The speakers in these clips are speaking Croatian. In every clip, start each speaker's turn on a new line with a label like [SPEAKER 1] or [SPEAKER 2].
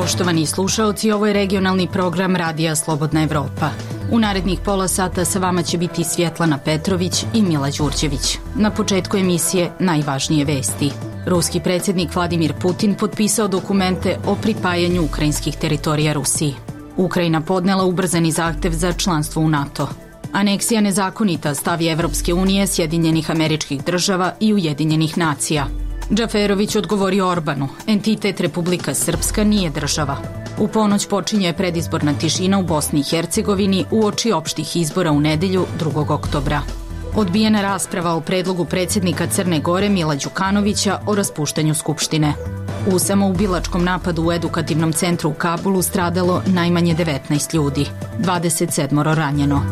[SPEAKER 1] Poštovani slušaoci, ovo je regionalni program Radija Slobodna Evropa. U narednih pola sata sa vama će biti Svjetlana Petrović i Mila Đurđević. Na početku emisije najvažnije vesti. Ruski predsjednik Vladimir Putin potpisao dokumente o pripajanju ukrajinskih teritorija Rusiji. Ukrajina podnela ubrzani zahtev za članstvo u NATO. Aneksija nezakonita, stav Evropske unije, Sjedinjenih Američkih Država i Ujedinjenih nacija. Džaferović odgovorio Orbanu, entitet Republika Srpska nije država. U ponoć počinje predizborna tišina u Bosni i Hercegovini uoči opštih izbora u nedelju 2. oktobra. Odbijena rasprava o predlogu predsjednika Crne Gore Mila Đukanovića o raspuštanju Skupštine. U samoubilačkom napadu u edukativnom centru u Kabulu stradalo najmanje 19 ljudi, 27 ranjeno.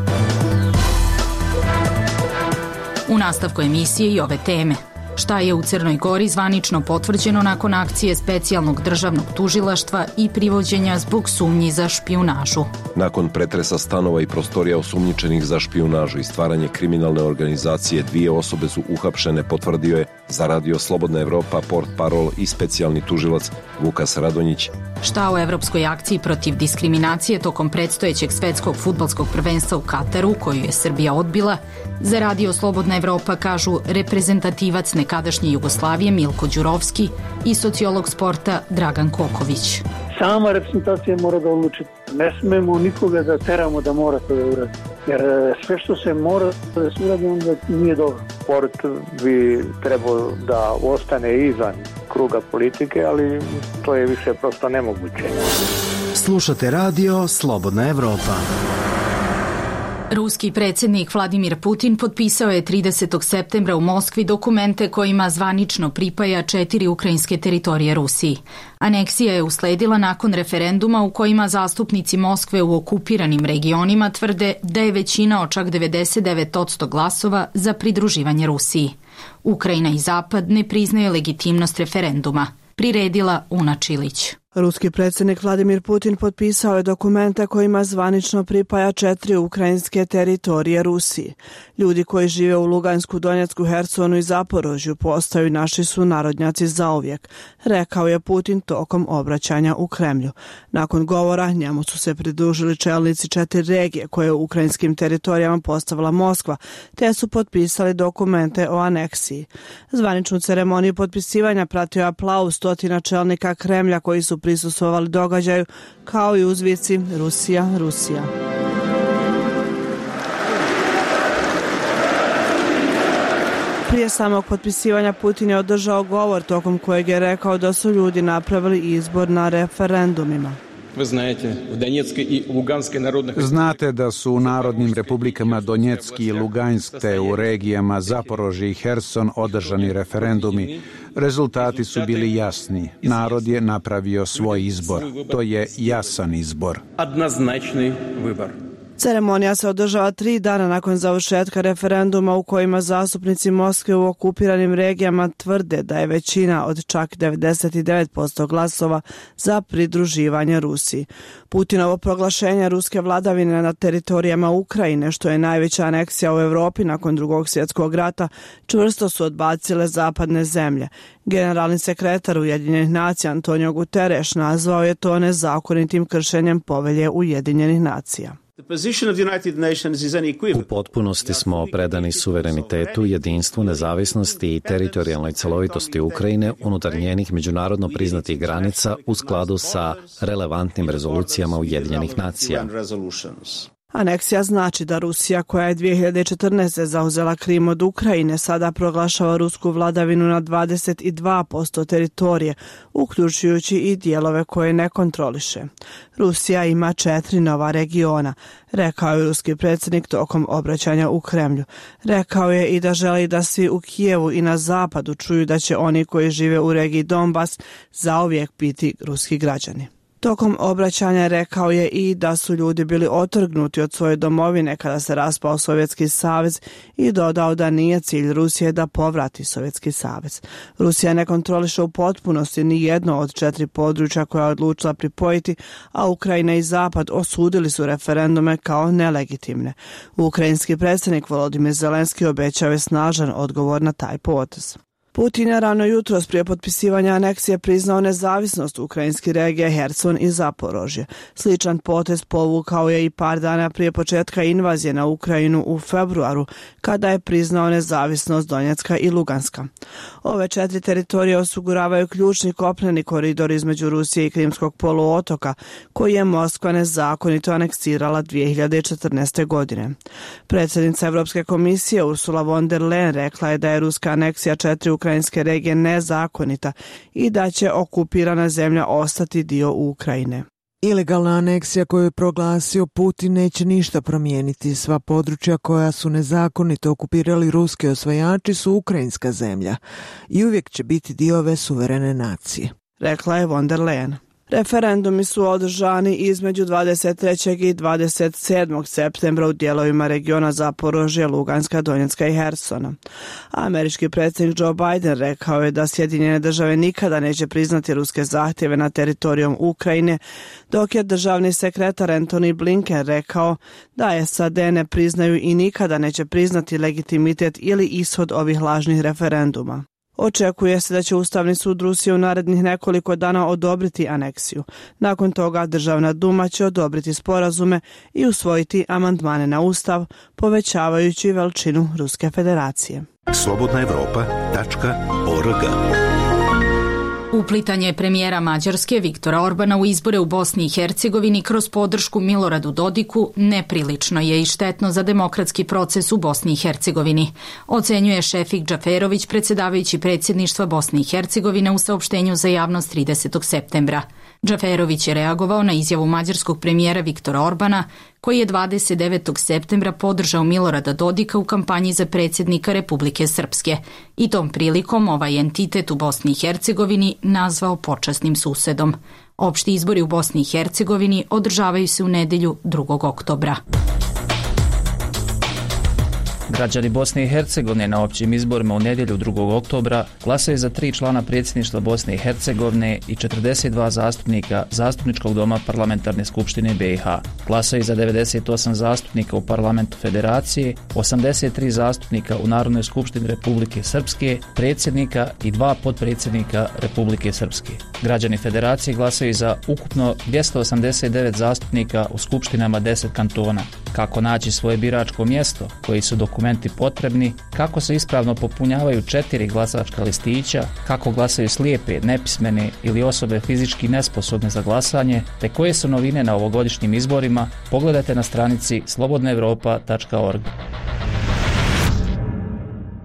[SPEAKER 1] U nastavku emisije i ove teme. Šta je u Crnoj Gori zvanično potvrđeno nakon akcije specijalnog državnog tužilaštva i privođenja zbog sumnji za špijunažu?
[SPEAKER 2] Nakon pretresa stanova i prostorija osumnjičenih za špijunažu i stvaranje kriminalne organizacije, 2 osobe su uhapšene, potvrdio je za Radio Slobodna Evropa portparol i specijalni tužilac Vukas Radonjić.
[SPEAKER 1] Šta o evropskoj akciji protiv diskriminacije tokom predstojećeg svetskog fudbalskog prvenstva u Kataru, koju je Srbija odbila, za Radio Slobodna Evropa kažu reprezentativac nekadašnje Jugoslavije Milko Đurovski i sociolog sporta Dragan Koković.
[SPEAKER 3] Sama reprezentacija mora da odluči. Ne smemo nikoga da teramo da mora to da uradi. Jer sve što se mora da se uradi, onda nije dobro. Sport bi trebao da ostane izvan kruga politike, ali to je više prosto nemoguće.
[SPEAKER 4] Slušate Radio Slobodna Evropa.
[SPEAKER 1] Ruski predsjednik Vladimir Putin potpisao je 30. septembra u Moskvi dokumente kojima zvanično pripaja 4 ukrajinske teritorije Rusiji. Aneksija je usledila nakon referenduma u kojima zastupnici Moskve u okupiranim regionima tvrde da je većina od čak 99% glasova za pridruživanje Rusiji. Ukrajina i Zapad ne priznaju legitimnost referenduma, priredila Una Čilić.
[SPEAKER 5] Ruski predsjednik Vladimir Putin potpisao je dokumente kojima zvanično pripaja 4 ukrajinske teritorije Rusiji. Ljudi koji žive u Lugansku, Donjecku, Hersonu i Zaporožju postaju naši sunarodnjaci zauvijek, rekao je Putin tokom obraćanja u Kremlju. Nakon govora njemu su se pridružili čelnici 4 regije koje u ukrajinskim teritorijama postavila Moskva, te su potpisali dokumente o aneksiji. Zvaničnu ceremoniju potpisivanja pratio je aplauz stotina čelnika Kremlja koji su prisustvovali događaju, kao i uzvici Rusija, Rusija. Prije samog potpisivanja Putin je održao govor tokom kojeg je rekao da su ljudi napravili izbor na referendumima.
[SPEAKER 6] Znate da su u narodnim republikama Donjecki i Lugansk te u regijama Zaporožje i Herson održani referendumi. Rezultati su bili jasni. Narod je napravio svoj izbor. To je jasan izbor.
[SPEAKER 5] Ceremonija se održava 3 dana nakon završetka referenduma u kojima zastupnici Moskve u okupiranim regijama tvrde da je većina od čak 99% glasova za pridruživanje Rusiji. Putinovo proglašenje ruske vladavine na teritorijama Ukrajine, što je najveća aneksija u Europi nakon Drugog svjetskog rata, čvrsto su odbacile zapadne zemlje. Generalni sekretar Ujedinjenih nacija Antonio Guterres nazvao je to nezakonitim kršenjem povelje Ujedinjenih nacija.
[SPEAKER 7] U potpunosti smo predani suverenitetu, jedinstvu, nezavisnosti i teritorijalnoj celovitosti Ukrajine unutar njenih međunarodno priznatih granica u skladu sa relevantnim rezolucijama Ujedinjenih nacija.
[SPEAKER 5] Aneksija znači da Rusija, koja je 2014. zauzela Krim od Ukrajine, sada proglašava rusku vladavinu na 22% teritorije, uključujući i dijelove koje ne kontroliše. Rusija ima 4 nova regiona, rekao je ruski predsjednik tokom obraćanja u Kremlju. Rekao je i da želi da svi u Kijevu i na zapadu čuju da će oni koji žive u regiji Donbas zauvijek biti ruski građani. Tokom obraćanja rekao je i da su ljudi bili otrgnuti od svoje domovine kada se raspao Sovjetski savez i dodao da nije cilj Rusije da povrati Sovjetski savez. Rusija ne kontroliše u potpunosti ni jedno od 4 područja koja je odlučila pripojiti, a Ukrajina i Zapad osudili su referendume kao nelegitimne. Ukrajinski predsjednik Volodimir Zelenski obećao je snažan odgovor na taj potez. Putin je rano jutros prije potpisivanja aneksije priznao nezavisnost ukrajinskih regija Herson i Zaporožje. Sličan potez povukao je i par dana prije početka invazije na Ukrajinu u februaru, kada je priznao nezavisnost Donjecka i Luganska. Ove 4 teritorije osiguravaju ključni kopneni koridor između Rusije i Krimskog poluotoka, koji je Moskva nezakonito aneksirala 2014. godine. Predsjednica Europske komisije Ursula von der Leyen rekla je da je ruska aneksija 4 ukrajinske regije nezakonita i da će okupirana zemlja ostati dio Ukrajine.
[SPEAKER 8] Ilegalna aneksija koju je proglasio Putin neće ništa promijeniti. Sva područja koja su nezakonito okupirali ruski osvajači su ukrajinska zemlja i uvijek će biti dio ove suverene nacije,
[SPEAKER 5] rekla je von der Leyen. Referendumi su održani između 23. i 27. septembra u dijelovima regiona Zaporožje, Luganska, Donjecka i Hersona. Američki predsjednik Joe Biden rekao je da Sjedinjene države nikada neće priznati ruske zahtjeve na teritorijom Ukrajine, dok je državni sekretar Antony Blinken rekao da SAD ne priznaju i nikada neće priznati legitimitet ili ishod ovih lažnih referenduma. Očekuje se da će Ustavni sud Rusije u narednih nekoliko dana odobriti aneksiju. Nakon toga Državna duma će odobriti sporazume i usvojiti amandmane na Ustav, povećavajući veličinu Ruske federacije.
[SPEAKER 9] slobodnaevropa.org.
[SPEAKER 1] Uplitanje premijera Mađarske Viktora Orbana u izbore u Bosni i Hercegovini kroz podršku Miloradu Dodiku neprilično je i štetno za demokratski proces u Bosni i Hercegovini, ocenjuje Šefik Džaferović, predsjedavajući predsjedništva Bosne i Hercegovine u saopštenju za javnost 30. septembra. Džaferović je reagovao na izjavu mađarskog premijera Viktora Orbana, koji je 29. septembra podržao Milorada Dodika u kampanji za predsjednika Republike Srpske i tom prilikom ovaj entitet u Bosni i Hercegovini nazvao počasnim susedom. Opšti izbori u Bosni i Hercegovini održavaju se u nedjelju 2. oktobra.
[SPEAKER 10] Građani Bosne i Hercegovine na općim izborima u nedjelju 2. oktobra glasaju za 3 člana predsjedništva Bosne i Hercegovine i 42 zastupnika Zastupničkog doma Parlamentarne skupštine BiH. Glasaju za 98 zastupnika u Parlamentu Federacije, 83 zastupnika u Narodnoj skupštini Republike Srpske, predsjednika i 2 potpredsjednika Republike Srpske. Građani Federacije glasaju za ukupno 289 zastupnika u skupštinama 10 kantona. Kako naći svoje biračko mjesto, koji su dokumenti potrebni, kako se ispravno popunjavaju 4 glasačka listića, kako glasaju slijepe, nepismene ili osobe fizički nesposobne za glasanje, te koje su novine na ovogodišnjim izborima, pogledajte na stranici slobodnaevropa.org.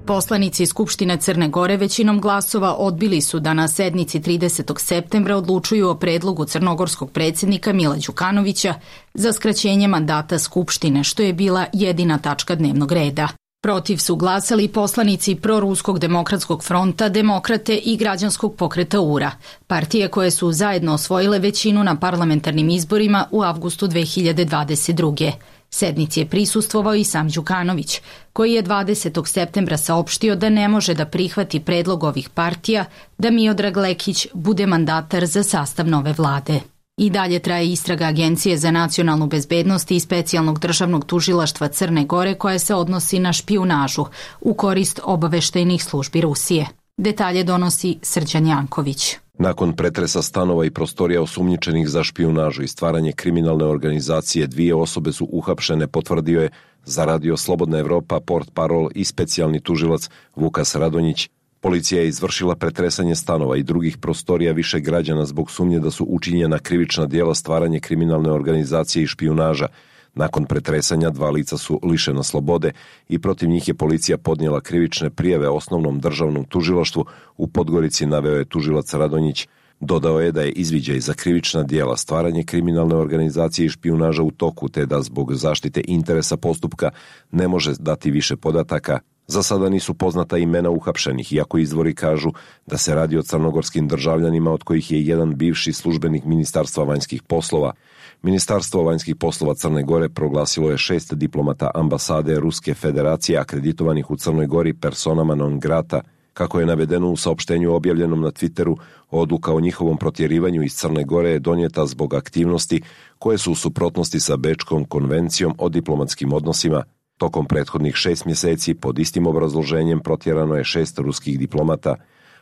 [SPEAKER 1] Poslanici Skupštine Crne Gore većinom glasova odbili su da na sednici 30. septembra odlučuju o predlogu crnogorskog predsjednika Mila Đukanovića za skraćenje mandata Skupštine, što je bila jedina tačka dnevnog reda. Protiv su glasali poslanici Proruskog demokratskog fronta, Demokrate i Građanskog pokreta URA, partije koje su zajedno osvojile većinu na parlamentarnim izborima u avgustu 2022. Sednici je prisustvovao i sam Đukanović, koji je 20. septembra saopštio da ne može da prihvati predlog ovih partija da Miodrag Lekić bude mandatar za sastav nove vlade. I dalje traje istraga Agencije za nacionalnu bezbednost i specijalnog državnog tužilaštva Crne Gore koja se odnosi na špijunažu u korist obaveštajnih službi Rusije. Detalje donosi Srđan Janković.
[SPEAKER 2] Nakon pretresa stanova i prostorija osumnjičenih za špijunažu i stvaranje kriminalne organizacije, 2 osobe su uhapšene, potvrdio je za radio Slobodna Evropa portparol i specijalni tužilac Vukas Radonjić. Policija je izvršila pretresanje stanova i drugih prostorija više građana zbog sumnje da su učinjena krivična djela stvaranje kriminalne organizacije i špijunaža. Nakon pretresanja 2 lica su lišena slobode i protiv njih je policija podnijela krivične prijave Osnovnom državnom tužilaštvu u Podgorici, naveo je tužilac Radonjić. Dodao je da je izviđaj za krivična djela stvaranje kriminalne organizacije i špijunaža u toku, te da zbog zaštite interesa postupka ne može dati više podataka. Za sada nisu poznata imena uhapšenih, iako izvori kažu da se radi o crnogorskim državljanima, od kojih je jedan bivši službenik Ministarstva vanjskih poslova. Ministarstvo vanjskih poslova Crne Gore proglasilo je 6 diplomata ambasade Ruske federacije akreditovanih u Crnoj Gori personama non grata. Kako je navedeno u saopštenju objavljenom na Twitteru, odluka o njihovom protjerivanju iz Crne Gore je donijeta zbog aktivnosti koje su u suprotnosti sa Bečkom konvencijom o diplomatskim odnosima. Tokom prethodnih 6 mjeseci pod istim obrazloženjem protjerano je 6 ruskih diplomata.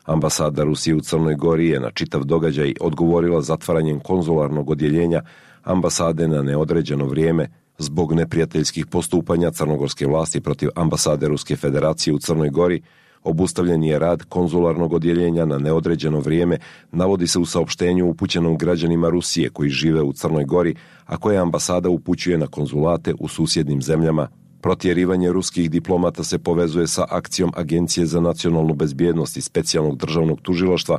[SPEAKER 2] Ambasada Rusije u Crnoj Gori je na čitav događaj odgovorila zatvaranjem konzularnog odjeljenja ambasade na neodređeno vrijeme zbog neprijateljskih postupanja crnogorske vlasti protiv ambasade Ruske federacije u Crnoj Gori. Obustavljen je rad konzularnog odjeljenja na neodređeno vrijeme, navodi se u saopštenju upućenom građanima Rusije koji žive u Crnoj Gori, a koje ambasada upućuje na konzulate u susjednim zemljama. Protjerivanje ruskih diplomata se povezuje sa akcijom Agencije za nacionalnu bezbjednost i specijalnog državnog tužilaštva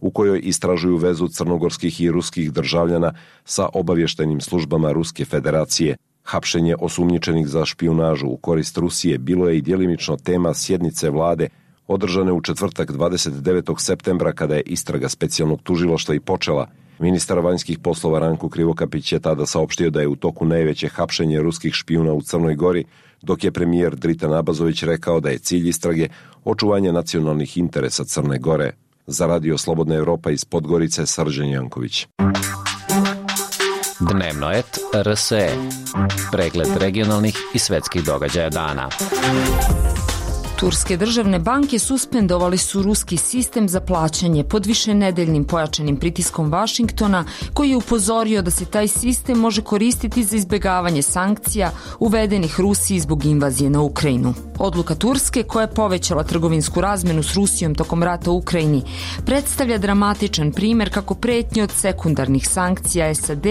[SPEAKER 2] u kojoj istražuju vezu crnogorskih i ruskih državljana sa obavještajnim službama Ruske federacije. Hapšenje osumnjičenih za špijunažu u korist Rusije bilo je i djelimično tema sjednice vlade održane u četvrtak 29. septembra kada je istraga specijalnog tužilaštva i počela. Ministar vanjskih poslova Ranko Krivokapić je tada saopštio da je u toku najveće hapšenje ruskih špijuna u Crnoj Gori, dok je premijer Dritan Abazović rekao da je cilj istrage očuvanje nacionalnih interesa Crne Gore. Za Radio Slobodna Evropa iz Podgorice, Srđan Janković.
[SPEAKER 7] Dnevnoet RSE. Pregled regionalnih i svetskih događaja dana.
[SPEAKER 9] Turske državne banke suspendovali su ruski sistem za plaćanje pod višenedeljnim pojačanim pritiskom Vašingtona, koji je upozorio da se taj sistem može koristiti za izbjegavanje sankcija uvedenih Rusiji zbog invazije na Ukrajinu. Odluka Turske, koja je povećala trgovinsku razmenu s Rusijom tokom rata u Ukrajini, predstavlja dramatičan primjer kako pretnje od sekundarnih sankcija SAD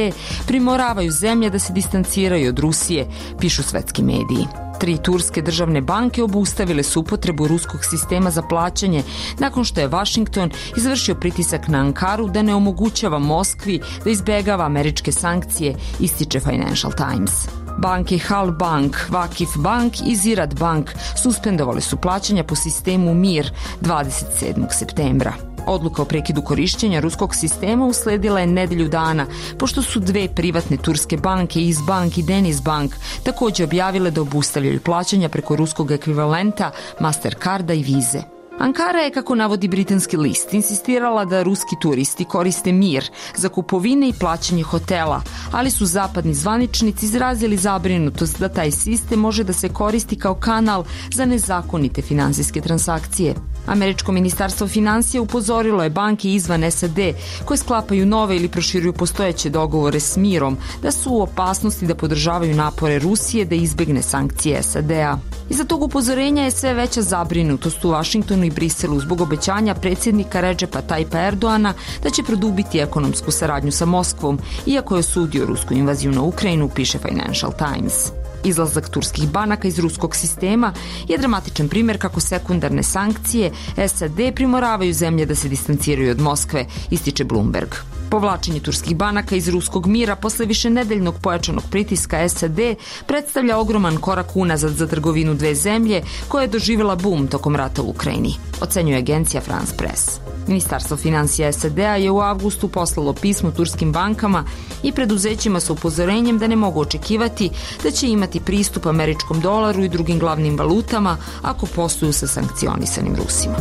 [SPEAKER 9] primoravaju zemlje da se distanciraju od Rusije, pišu svetski mediji. 3 turske državne banke obustavile su upotrebu ruskog sistema za plaćanje nakon što je Vašington izvršio pritisak na Ankaru da ne omogućava Moskvi da izbjegava američke sankcije, ističe Financial Times. Banke Hal Bank, Vakif Bank i Zirad Bank suspendovali su plaćanja po sistemu MIR 27. septembra. Odluka o prekidu korištenja ruskog sistema usledila je nedelju dana, pošto su 2 privatne turske banke, Izbank i Denizbank, također objavile da obustavljaju plaćanja preko ruskog ekvivalenta Mastercarda i Vize. Ankara je, kako navodi britanski list, insistirala da ruski turisti koriste MIR za kupovine i plaćanje hotela, ali su zapadni zvaničnici izrazili zabrinutost da taj sistem može da se koristi kao kanal za nezakonite finansijske transakcije. Američko ministarstvo financija upozorilo je banke izvan SAD koje sklapaju nove ili proširuju postojeće dogovore s MIR-om da su u opasnosti da podržavaju napore Rusije da izbjegne sankcije SAD-a. Iza tog upozorenja je sve veća zabrinutost u Vašingtonu i Briselu zbog obećanja predsjednika Redžepa Tajpa Erdoana da će produbiti ekonomsku saradnju sa Moskvom, iako je osudio rusku invaziju na Ukrajinu, piše Financial Times. Izlazak turskih banaka iz ruskog sistema je dramatičan primjer kako sekundarne sankcije SAD primoravaju zemlje da se distanciraju od Moskve, ističe Bloomberg. Povlačenje turskih banaka iz ruskog mira posle višenedeljnog pojačanog pritiska SAD predstavlja ogroman korak unazad za trgovinu dve zemlje koja je doživjela bum tokom rata u Ukrajini, ocenjuje agencija France Press. Ministarstvo financija SAD-a je u avgustu poslalo pismo turskim bankama i preduzećima sa upozorenjem da ne mogu očekivati da će imati pristup američkom dolaru i drugim glavnim valutama ako posluju sa sankcionisanim Rusima.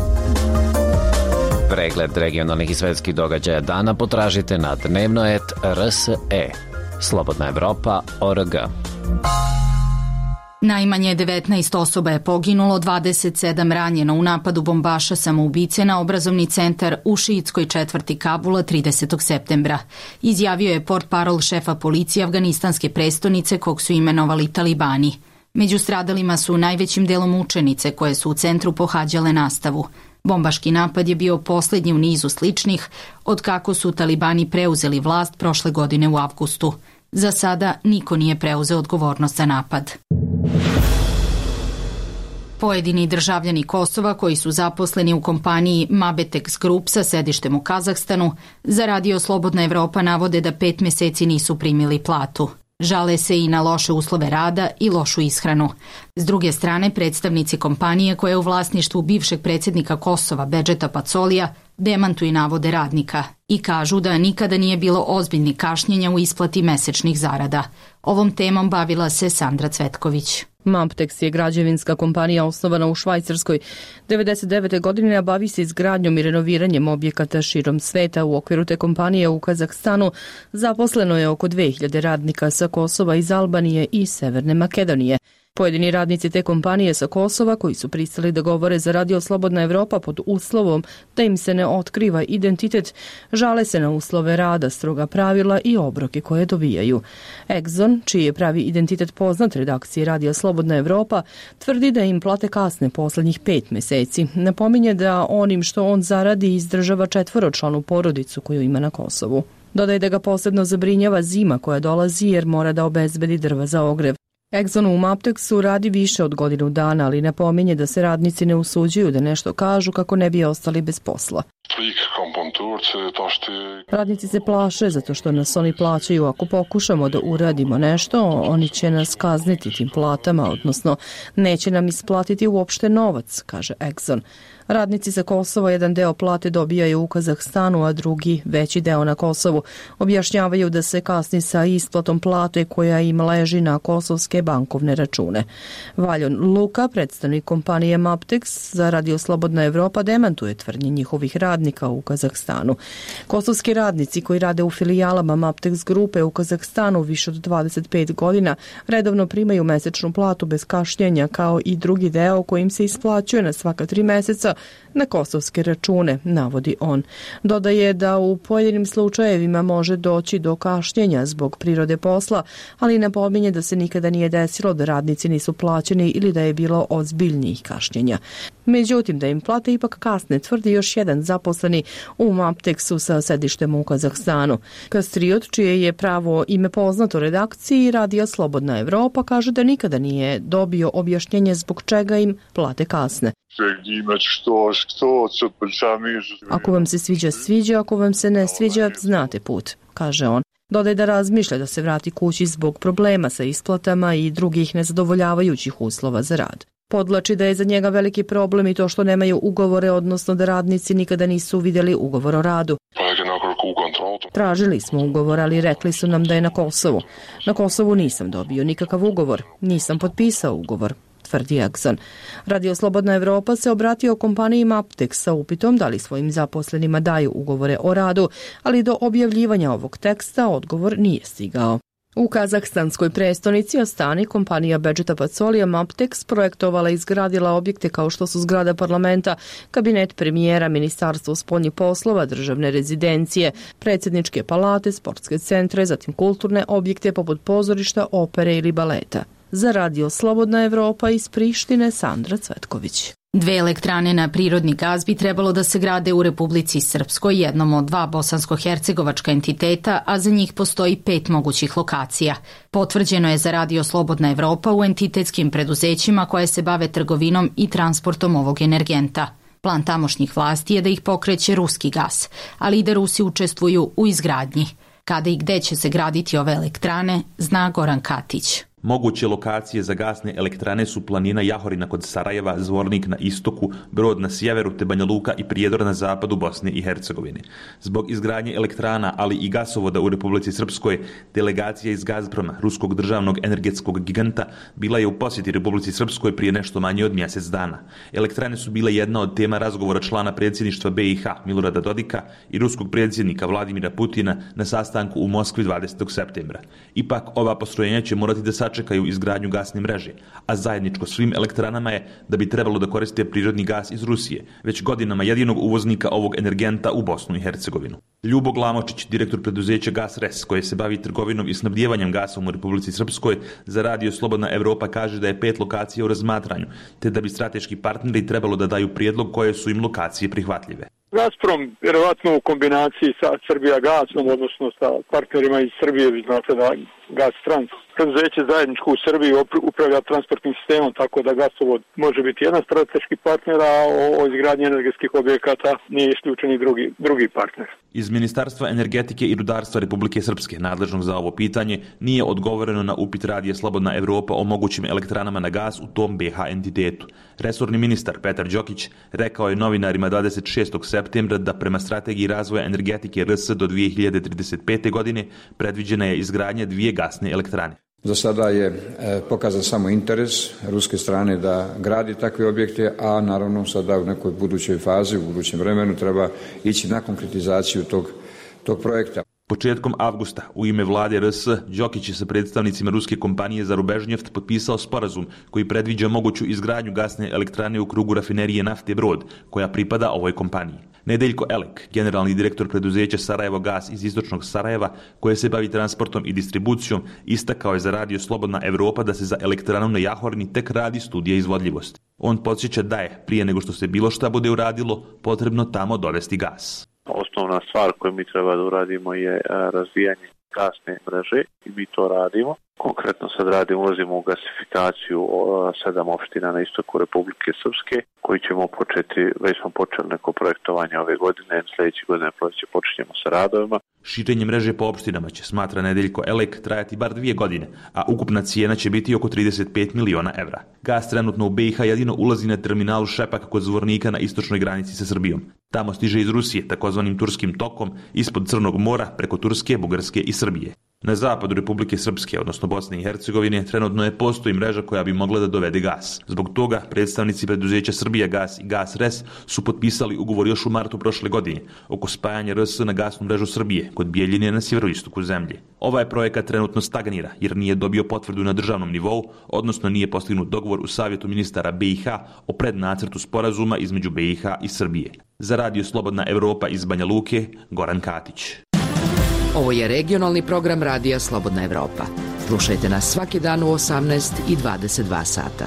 [SPEAKER 7] Pregled regionalnih i svetskih događaja dana potražite na dnevnoet RSE. Slobodna Evropa.org.
[SPEAKER 1] Najmanje 19 osoba je poginulo, 27 ranjeno u napadu bombaša samoubice na obrazovni centar u šiitskoj četvrti Kabula 30. septembra. Izjavio je portparol šefa policije afganistanske prestonice kog su imenovali talibani. Među stradalima su najvećim delom učenice koje su u centru pohađale nastavu. Bombaški napad je bio posljednji u nizu sličnih od kako su talibani preuzeli vlast prošle godine u avgustu. Za sada niko nije preuzeo odgovornost za napad. Pojedini državljani Kosova koji su zaposleni u kompaniji Mabetex Group sa sedištem u Kazahstanu za Radio Slobodna Evropa navode da 5 mjeseci nisu primili platu. Žale se i na loše uslove rada i lošu ishranu. S druge strane, predstavnici kompanije koja je u vlasništvu bivšeg predsjednika Kosova Bedžeta Pacolija demantuju navode radnika i kažu da nikada nije bilo ozbiljnih kašnjenja u isplati mesečnih zarada. Ovom temom bavila se Sandra Cvetković.
[SPEAKER 11] Maptex je građevinska kompanija osnovana u Švajcarskoj 1999. godine, a bavi se izgradnjom i renoviranjem objekata širom sveta. U okviru te kompanije u Kazahstanu zaposleno je oko 2000 radnika sa Kosova, iz Albanije i Severne Makedonije. Pojedini radnici te kompanije sa Kosova koji su pristali da govore za Radio Slobodna Evropa pod uslovom da im se ne otkriva identitet, žale se na uslove rada, stroga pravila i obroke koje dobijaju. Exxon, čiji je pravi identitet poznat redakciji Radio Slobodna Evropa, tvrdi da im plate kasne poslednjih 5 meseci. Napominje da onim što on zaradi izdržava 4-članu porodicu koju ima na Kosovu. Dodaje da ga posebno zabrinjava zima koja dolazi jer mora da obezbedi drva za ogrev. Exxon u Mapteksu radi više od godinu dana, ali napominje da se radnici ne usuđuju da nešto kažu kako ne bi ostali bez posla. Radnici se plaše zato što nas oni plaćaju. Ako pokušamo da uradimo nešto, oni će nas kazniti tim platama, odnosno neće nam isplatiti uopšte novac, kaže Exxon. Radnici sa Kosova jedan deo plate dobijaju u Kazahstanu, a drugi veći deo na Kosovu. Objašnjavaju da se kasni sa isplatom plate koja im leži na kosovske bankovne račune. Valjon Luka, predstavnik kompanije Maptex za Radio Slobodna Evropa, demantuje tvrdnje njihovih radnika u Kazahstanu. Kosovski radnici koji rade u filijalama Maptex grupe u Kazahstanu više od 25 godina redovno primaju mesečnu platu bez kašnjenja, kao i drugi deo kojim se isplaćuje na svaka 3 meseca na kosovske račune, navodi on. Dodaje da u pojedinim slučajevima može doći do kašnjenja zbog prirode posla, ali napominje da se nikada nije desilo da radnici nisu plaćeni ili da je bilo ozbiljnijih kašnjenja. Međutim, da im plate ipak kasne, tvrdi još jedan zaposleni u Mapteksu sa sedištem u Kazahstanu. Kastriot, čije je pravo ime poznato redakciji Radio Slobodna Evropa, kaže da nikada nije dobio objašnjenje zbog čega im plate kasne. Ako vam se sviđa, sviđa, ako vam se ne sviđa, znate put, kaže on. Dodaje da razmišlja da se vrati kući zbog problema sa isplatama i drugih nezadovoljavajućih uslova za rad. Podlači da je za njega veliki problem i to što nemaju ugovore, odnosno da radnici nikada nisu vidjeli ugovor o radu. Tražili smo ugovor, ali rekli su nam da je na Kosovu. Na Kosovu nisam dobio nikakav ugovor, nisam potpisao ugovor, tvrdi Exxon. Radio Slobodna Evropa se obratio kompaniji Maptex sa upitom da li svojim zaposlenima daju ugovore o radu, ali do objavljivanja ovog teksta odgovor nije stigao. U kazahstanskoj prestonici Astani kompanija Bedžeta Pacolija Maptex projektovala i izgradila objekte kao što su zgrada parlamenta, kabinet premijera, ministarstvo spoljnih poslova, državne rezidencije, predsjedničke palate, sportske centre, zatim kulturne objekte poput pozorišta, opere ili baleta. Za Radio Slobodna Evropa iz Prištine, Sandra Cvetković.
[SPEAKER 1] 2 elektrane na prirodni gaz bi trebalo da se grade u Republici Srpskoj, jednom od 2 bosansko-hercegovačka entiteta, a za njih postoji 5 mogućih lokacija. Potvrđeno je za Radio Slobodna Evropa u entitetskim preduzećima koje se bave trgovinom i transportom ovog energenta. Plan tamošnjih vlasti je da ih pokreće ruski gas, ali i da Rusi učestvuju u izgradnji. Kada i gde će se graditi ove elektrane, zna Goran Katić.
[SPEAKER 12] Moguće lokacije za gasne elektrane su planina Jahorina kod Sarajeva, Zvornik na istoku, Brod na sjeveru te Banja Luka i Prijedor na zapadu Bosne i Hercegovine. Zbog izgradnje elektrana, ali i gasovoda u Republici Srpskoj, delegacija iz Gazproma, ruskog državnog energetskog giganta, bila je u posjeti Republici Srpskoj prije nešto manje od mjesec dana. Elektrane su bile jedna od tema razgovora člana predsjedništva BiH Milorada Dodika i ruskog predsjednika Vladimira Putina na sastanku u Moskvi 20. septembra. Ipak, ova postrojenja će morati da sačekaju izgradnju gasne mreže, a zajedničko svim elektranama je da bi trebalo da koriste prirodni gas iz Rusije, već godinama jedinog uvoznika ovog energenta u Bosnu i Hercegovinu. Ljubo Glamočić, direktor preduzeća Gas Res, koje se bavi trgovinom i snabdjevanjem gasom u Republici Srpskoj, za Radio Slobodna Evropa kaže da je 5 lokacija u razmatranju, te da bi strateški partneri trebalo da daju prijedlog koje su im lokacije prihvatljive.
[SPEAKER 3] Gazprom, vjerovatno u kombinaciji sa Srbija gasom, odnosno sa partnerima iz Srbije, vi znate da Gastrans, preduzeće zajedničko u Srbiji upravlja transportnim sistemom, tako da gasovod može biti jedan strateški partner, a o izgradnji energetskih objekata nije isključen i drugi partner.
[SPEAKER 12] Iz Ministarstva energetike i rudarstva Republike Srpske, nadležnog za ovo pitanje, nije odgovoreno na upit Radija Slobodna Evropa o mogućim elektranama na gas u tom BiH entitetu. Resorni ministar Petar Đokić rekao je novinarima 26. septembra da prema strategiji razvoja energetike RS do 2035. godine predviđena je izgradnja 2 gasne elektrane.
[SPEAKER 13] Za sada je pokazan samo interes ruske strane da gradi takve objekte, a naravno sada u nekoj budućoj fazi, u budućem vremenu treba ići na konkretizaciju tog projekta.
[SPEAKER 12] Početkom avgusta u ime vlade RS Đokić je sa predstavnicima ruske kompanije Zarubežnjeft potpisao sporazum koji predviđa moguću izgradnju gasne elektrane u krugu rafinerije nafte Brod, koja pripada ovoj kompaniji. Nedeljko Elek, generalni direktor preduzeća Sarajevo Gas iz istočnog Sarajeva, koje se bavi transportom i distribucijom, istakao je za Radio Slobodna Evropa da se za elektranu na Jahorni tek radi studija izvodljivosti. On podsjeća da je, prije nego što se bilo šta bude uradilo, potrebno tamo dovesti gas.
[SPEAKER 14] Osnovna stvar koju mi treba da uradimo je razvijanje gasne mreže i mi to radimo. Konkretno sad ulazimo u gasifikaciju 7 opština na istoku Republike Srpske, koji ćemo početi, već smo počeli neko projektovanje ove godine, sljedeće godine počinjemo sa radovima.
[SPEAKER 12] Širenje mreže po opštinama će, smatra Nedeljko Elek, trajati bar 2 godine, a ukupna cijena će biti oko 35 miliona evra. Gas trenutno u BiH jedino ulazi na terminalu Šepak kod Zvornika na istočnoj granici sa Srbijom. Tamo stiže iz Rusije, takozvanim Turskim tokom, ispod Crnog mora, preko Turske, Bugarske i Srbije. Na zapadu Republike Srpske, odnosno Bosne i Hercegovine, trenutno ne postoji mreža koja bi mogla da dovede gas. Zbog toga, predstavnici preduzeća Srbija Gas i Gas RES su potpisali ugovor još u martu prošle godine oko spajanja RS na gasnu mrežu Srbije kod Bijeljine na sjeveroistoku zemlje. Ovaj projekat trenutno stagnira jer nije dobio potvrdu na državnom nivou, odnosno nije postignut dogovor u Savjetu ministara BiH o prednacrtu sporazuma između BiH i Srbije. Za Radio Slobodna Evropa iz Banja Luke, Goran Katić.
[SPEAKER 15] Ovo je regionalni program Radija Slobodna Evropa. Slušajte nas svaki dan u 18 i 22 sata.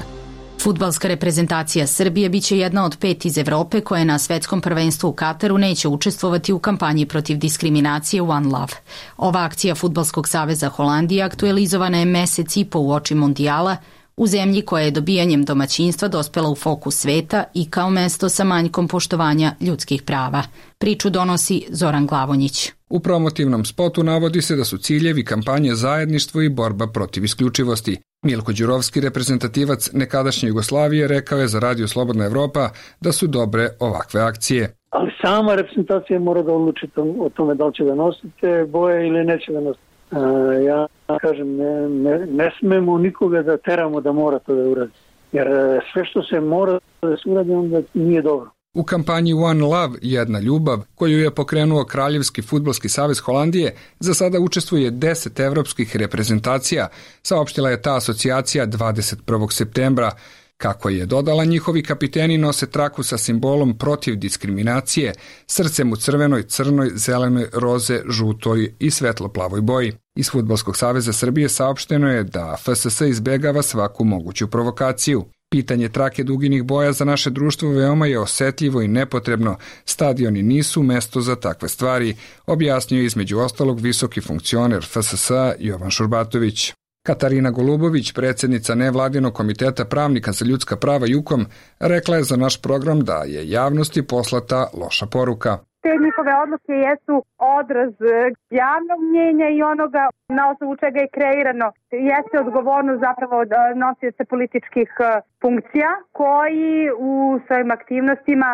[SPEAKER 1] Fudbalska reprezentacija Srbije biće jedna od 5 iz Evrope koje na svetskom prvenstvu u Kataru neće učestvovati u kampanji protiv diskriminacije One Love. Ova akcija Fudbalskog saveza Holandije aktualizovana je mesec i po uoči mondijala u zemlji koja je dobijanjem domaćinstva dospela u fokus sveta i kao mesto sa manjkom poštovanja ljudskih prava. Priču donosi Zoran Glavonjić.
[SPEAKER 16] U promotivnom spotu navodi se da su ciljevi kampanje zajedništvo i borba protiv isključivosti. Milko Đurovski, reprezentativac nekadašnje Jugoslavije, rekao je za Radio Slobodna Evropa da su dobre ovakve akcije.
[SPEAKER 3] Ali sama reprezentacija mora da odluči o tome da li će da nosite boje ili neće da nosite. Ja kažem, ne smemo nikoga da teramo da mora to da uradi. Jer sve što se mora da se uradi, onda nije dobro.
[SPEAKER 16] U kampanji One Love, jedna ljubav, koju je pokrenuo Kraljevski fudbalski savez Holandije, za sada učestvuje 10 evropskih reprezentacija, saopštila je ta asocijacija 21. septembra. Kako je dodala, njihovi kapiteni nose traku sa simbolom protiv diskriminacije, srcem u crvenoj, crnoj, zelenoj, roze, žutoj i svetlo-plavoj boji. Iz Fudbalskog saveza Srbije saopšteno je da FSS izbegava svaku moguću provokaciju. Pitanje trake duginih boja za naše društvo veoma je osetljivo i nepotrebno. Stadioni nisu mesto za takve stvari, objasnio je između ostalog visoki funkcioner FSS Jovan Šurbatović. Katarina Golubović, predsjednica nevladinog komiteta pravnika za ljudska prava JUKOM, rekla je za naš program da je javnosti poslata loša poruka.
[SPEAKER 17] Te njihove odluke jesu odraz javnog mnjenja i onoga na osnovu čega je kreirano. Jeste odgovornost zapravo nosioca političkih funkcija koji u svojim aktivnostima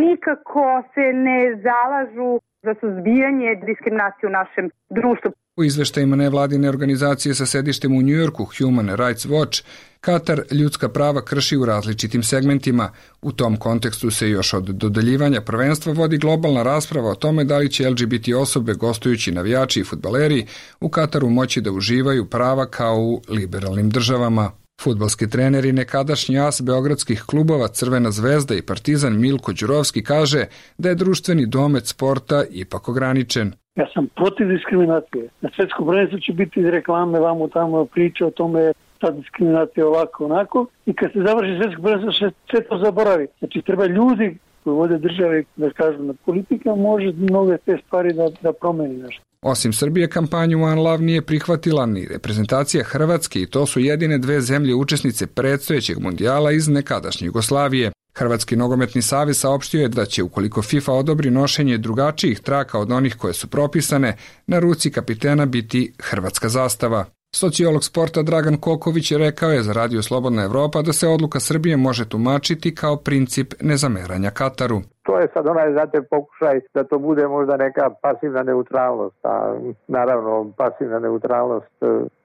[SPEAKER 17] nikako se ne zalažu za suzbijanje diskriminacije u našem društvu.
[SPEAKER 16] U izveštajima nevladine organizacije sa sedištem u Njujorku, Human Rights Watch, Katar ljudska prava krši u različitim segmentima. U tom kontekstu se još od dodeljivanja prvenstva vodi globalna rasprava o tome da li će LGBT osobe, gostujući navijači i fudbaleri, u Kataru moći da uživaju prava kao u liberalnim državama. Fudbalski trener i nekadašnji as beogradskih klubova Crvena zvezda i Partizan Milko Đurovski kaže da je društveni domet sporta ipak ograničen.
[SPEAKER 3] Ja sam protiv diskriminacije. Na svetskom prvenstvu će biti reklame, vamo tamo priče o tome ta diskriminacija ovako, onako. I kad se završi svetsko prvenstvo, sve to zaboravi. Znači, treba ljudi koji vode države, da kažu, na politika može mnoge te stvari da promeni nešto.
[SPEAKER 16] Osim Srbije, kampanju One Love nije prihvatila ni reprezentacija Hrvatske i to su jedine 2 zemlje učesnice predstojećeg mondijala iz nekadašnje Jugoslavije. Hrvatski nogometni savez saopštio je da će, ukoliko FIFA odobri nošenje drugačijih traka od onih koje su propisane, na ruci kapitena biti hrvatska zastava. Sociolog sporta Dragan Koković rekao je za Radio Slobodna Evropa da se odluka Srbije može tumačiti kao princip nezameranja Kataru.
[SPEAKER 18] To je sad znate, pokušaj da to bude možda neka pasivna neutralnost, a naravno pasivna neutralnost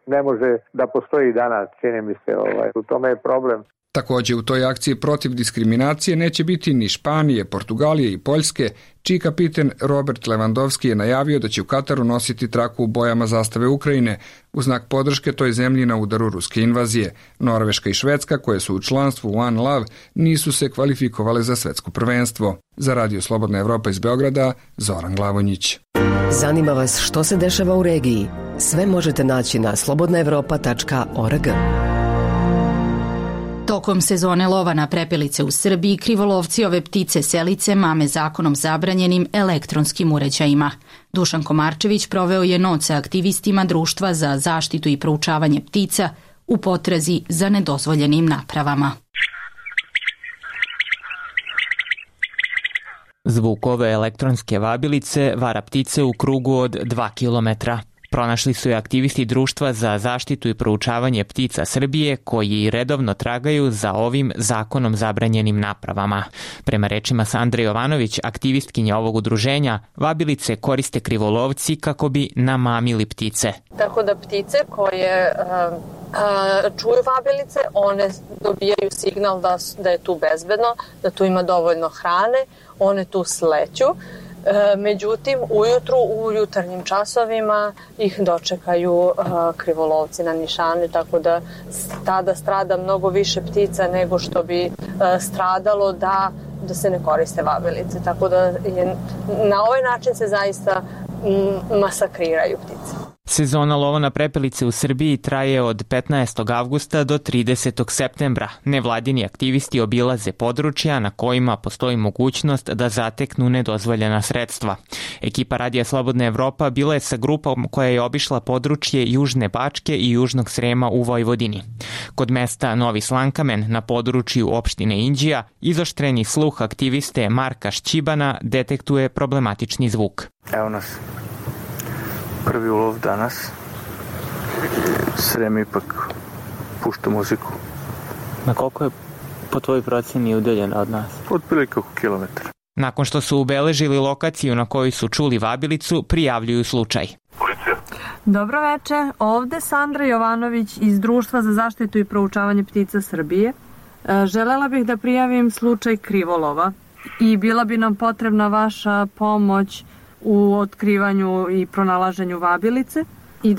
[SPEAKER 18] ne može da postoji danas, čini mi se, u tome je problem.
[SPEAKER 16] Takođe, u toj akciji protiv diskriminacije neće biti ni Španije, Portugalije i Poljske, čiji kapiten Robert Lewandowski je najavio da će u Kataru nositi traku u bojama zastave Ukrajine u znak podrške toj zemlji na udaru ruske invazije. Norveška i Švedska, koje su u članstvu One Love, nisu se kvalifikovale za svetsko prvenstvo. Za Radio Slobodna Evropa iz Beograda, Zoran Glavonjić.
[SPEAKER 19] Zanima vas što se dešava u regiji? Sve možete naći na slobodnaevropa.org.
[SPEAKER 1] Tokom sezone lova na prepelice u Srbiji, krivolovci ove ptice selice mame zakonom zabranjenim elektronskim uređajima. Dušan Komarčević proveo je noć sa aktivistima Društva za zaštitu i proučavanje ptica u potrazi za nedozvoljenim napravama.
[SPEAKER 20] Zvuk ove elektronske vabilice vara ptice u krugu od 2 kilometra. Pronašli su je aktivisti Društva za zaštitu i proučavanje ptica Srbije, koji redovno tragaju za ovim zakonom zabranjenim napravama. Prema rečima Sandre Jovanović, aktivistkinje ovog udruženja, vabilice koriste krivolovci kako bi namamili ptice.
[SPEAKER 21] Tako da ptice koje čuju vabilice, one dobijaju signal da je tu bezbedno, da tu ima dovoljno hrane, one tu sleću. Međutim, ujutru, u jutarnjim časovima ih dočekaju krivolovci na nišanu, tako da tada strada mnogo više ptica nego što bi stradalo da se ne koriste vabilice. Tako da na ovaj način se zaista masakriraju ptice.
[SPEAKER 20] Sezona lova na prepelice u Srbiji traje od 15. avgusta do 30. septembra. Nevladini aktivisti obilaze područja na kojima postoji mogućnost da zateknu nedozvoljena sredstva. Ekipa Radija Slobodna Evropa bila je sa grupom koja je obišla područje Južne Bačke i Južnog Srema u Vojvodini. Kod mesta Novi Slankamen na području opštine Inđija izoštreni sluh aktiviste Marka Šćibana detektuje problematični zvuk.
[SPEAKER 22] Evo nas. Prvi ulov danas. Srem ipak pušta muziku.
[SPEAKER 20] Na koliko je po tvojoj proceni udaljena od nas?
[SPEAKER 22] Otprilike oko kilometra.
[SPEAKER 20] Nakon što su ubeležili lokaciju na kojoj su čuli vabilicu, prijavljuju slučaj.
[SPEAKER 22] Policija.
[SPEAKER 23] Dobro veče, ovde Sandra Jovanović iz Društva za zaštitu i proučavanje ptica Srbije. Želela bih da prijavim slučaj krivolova i bila bi nam potrebna vaša pomoć u otkrivanju i pronalaženju vabilice i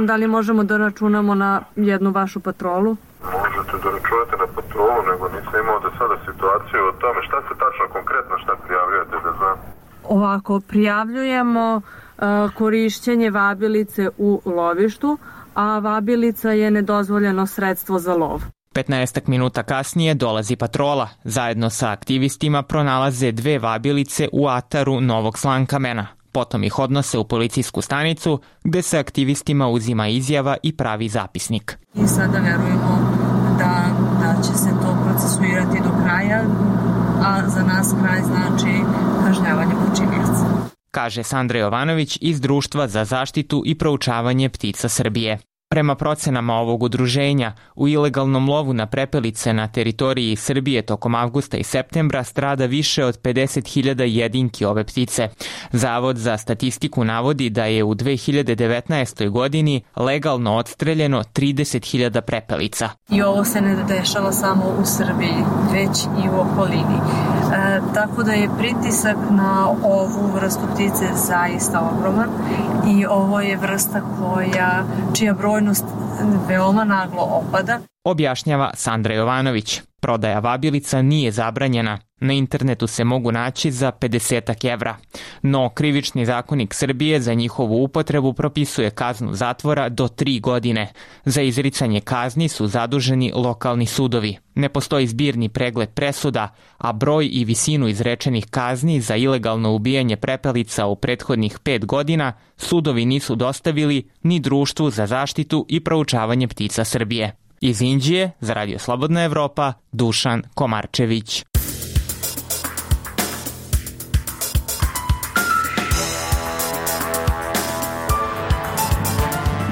[SPEAKER 23] da li možemo da računamo na jednu vašu patrolu?
[SPEAKER 24] Možete da računate na patrolu, nego nisam imao do sada situaciju o tome. Šta se tačno konkretno prijavljujete da znam?
[SPEAKER 23] Ovako, prijavljujemo korišćenje vabilice u lovištu, a vabilica je nedozvoljeno sredstvo za lov.
[SPEAKER 20] 15 minuta kasnije dolazi patrola. Zajedno sa aktivistima pronalaze 2 vabilice u ataru Novog Slankamena. Potom ih odnose u policijsku stanicu gde se aktivistima uzima izjava i pravi zapisnik.
[SPEAKER 23] I sada verujemo da će se to procesuirati do kraja, a za nas kraj znači kažnjavanje počinioca.
[SPEAKER 20] Kaže Sandra Jovanović iz Društva za zaštitu i proučavanje ptica Srbije. Prema procenama ovog udruženja, u ilegalnom lovu na prepelice na teritoriji Srbije tokom avgusta i septembra strada više od 50.000 jedinki ove ptice. Zavod za statistiku navodi da je u 2019. godini legalno odstreljeno 30.000 prepelica.
[SPEAKER 23] I ovo se ne dešava samo u Srbiji, već i u okolini. Tako da je pritisak na ovu vrstu ptice zaista ogroman i ovo je vrsta čija brojnost veoma naglo opada.
[SPEAKER 20] Objašnjava Sandra Jovanović. Prodaja vabilica nije zabranjena. Na internetu se mogu naći za 50 evra. No, Krivični zakonik Srbije za njihovu upotrebu propisuje kaznu zatvora do 3 godine. Za izricanje kazni su zaduženi lokalni sudovi. Ne postoji zbirni pregled presuda, a broj i visinu izrečenih kazni za ilegalno ubijanje prepelica u prethodnih 5 godina sudovi nisu dostavili ni Društvu za zaštitu i proučavanje ptica Srbije. Iz Inđije, za Radio Slobodna Evropa, Dušan Komarčević.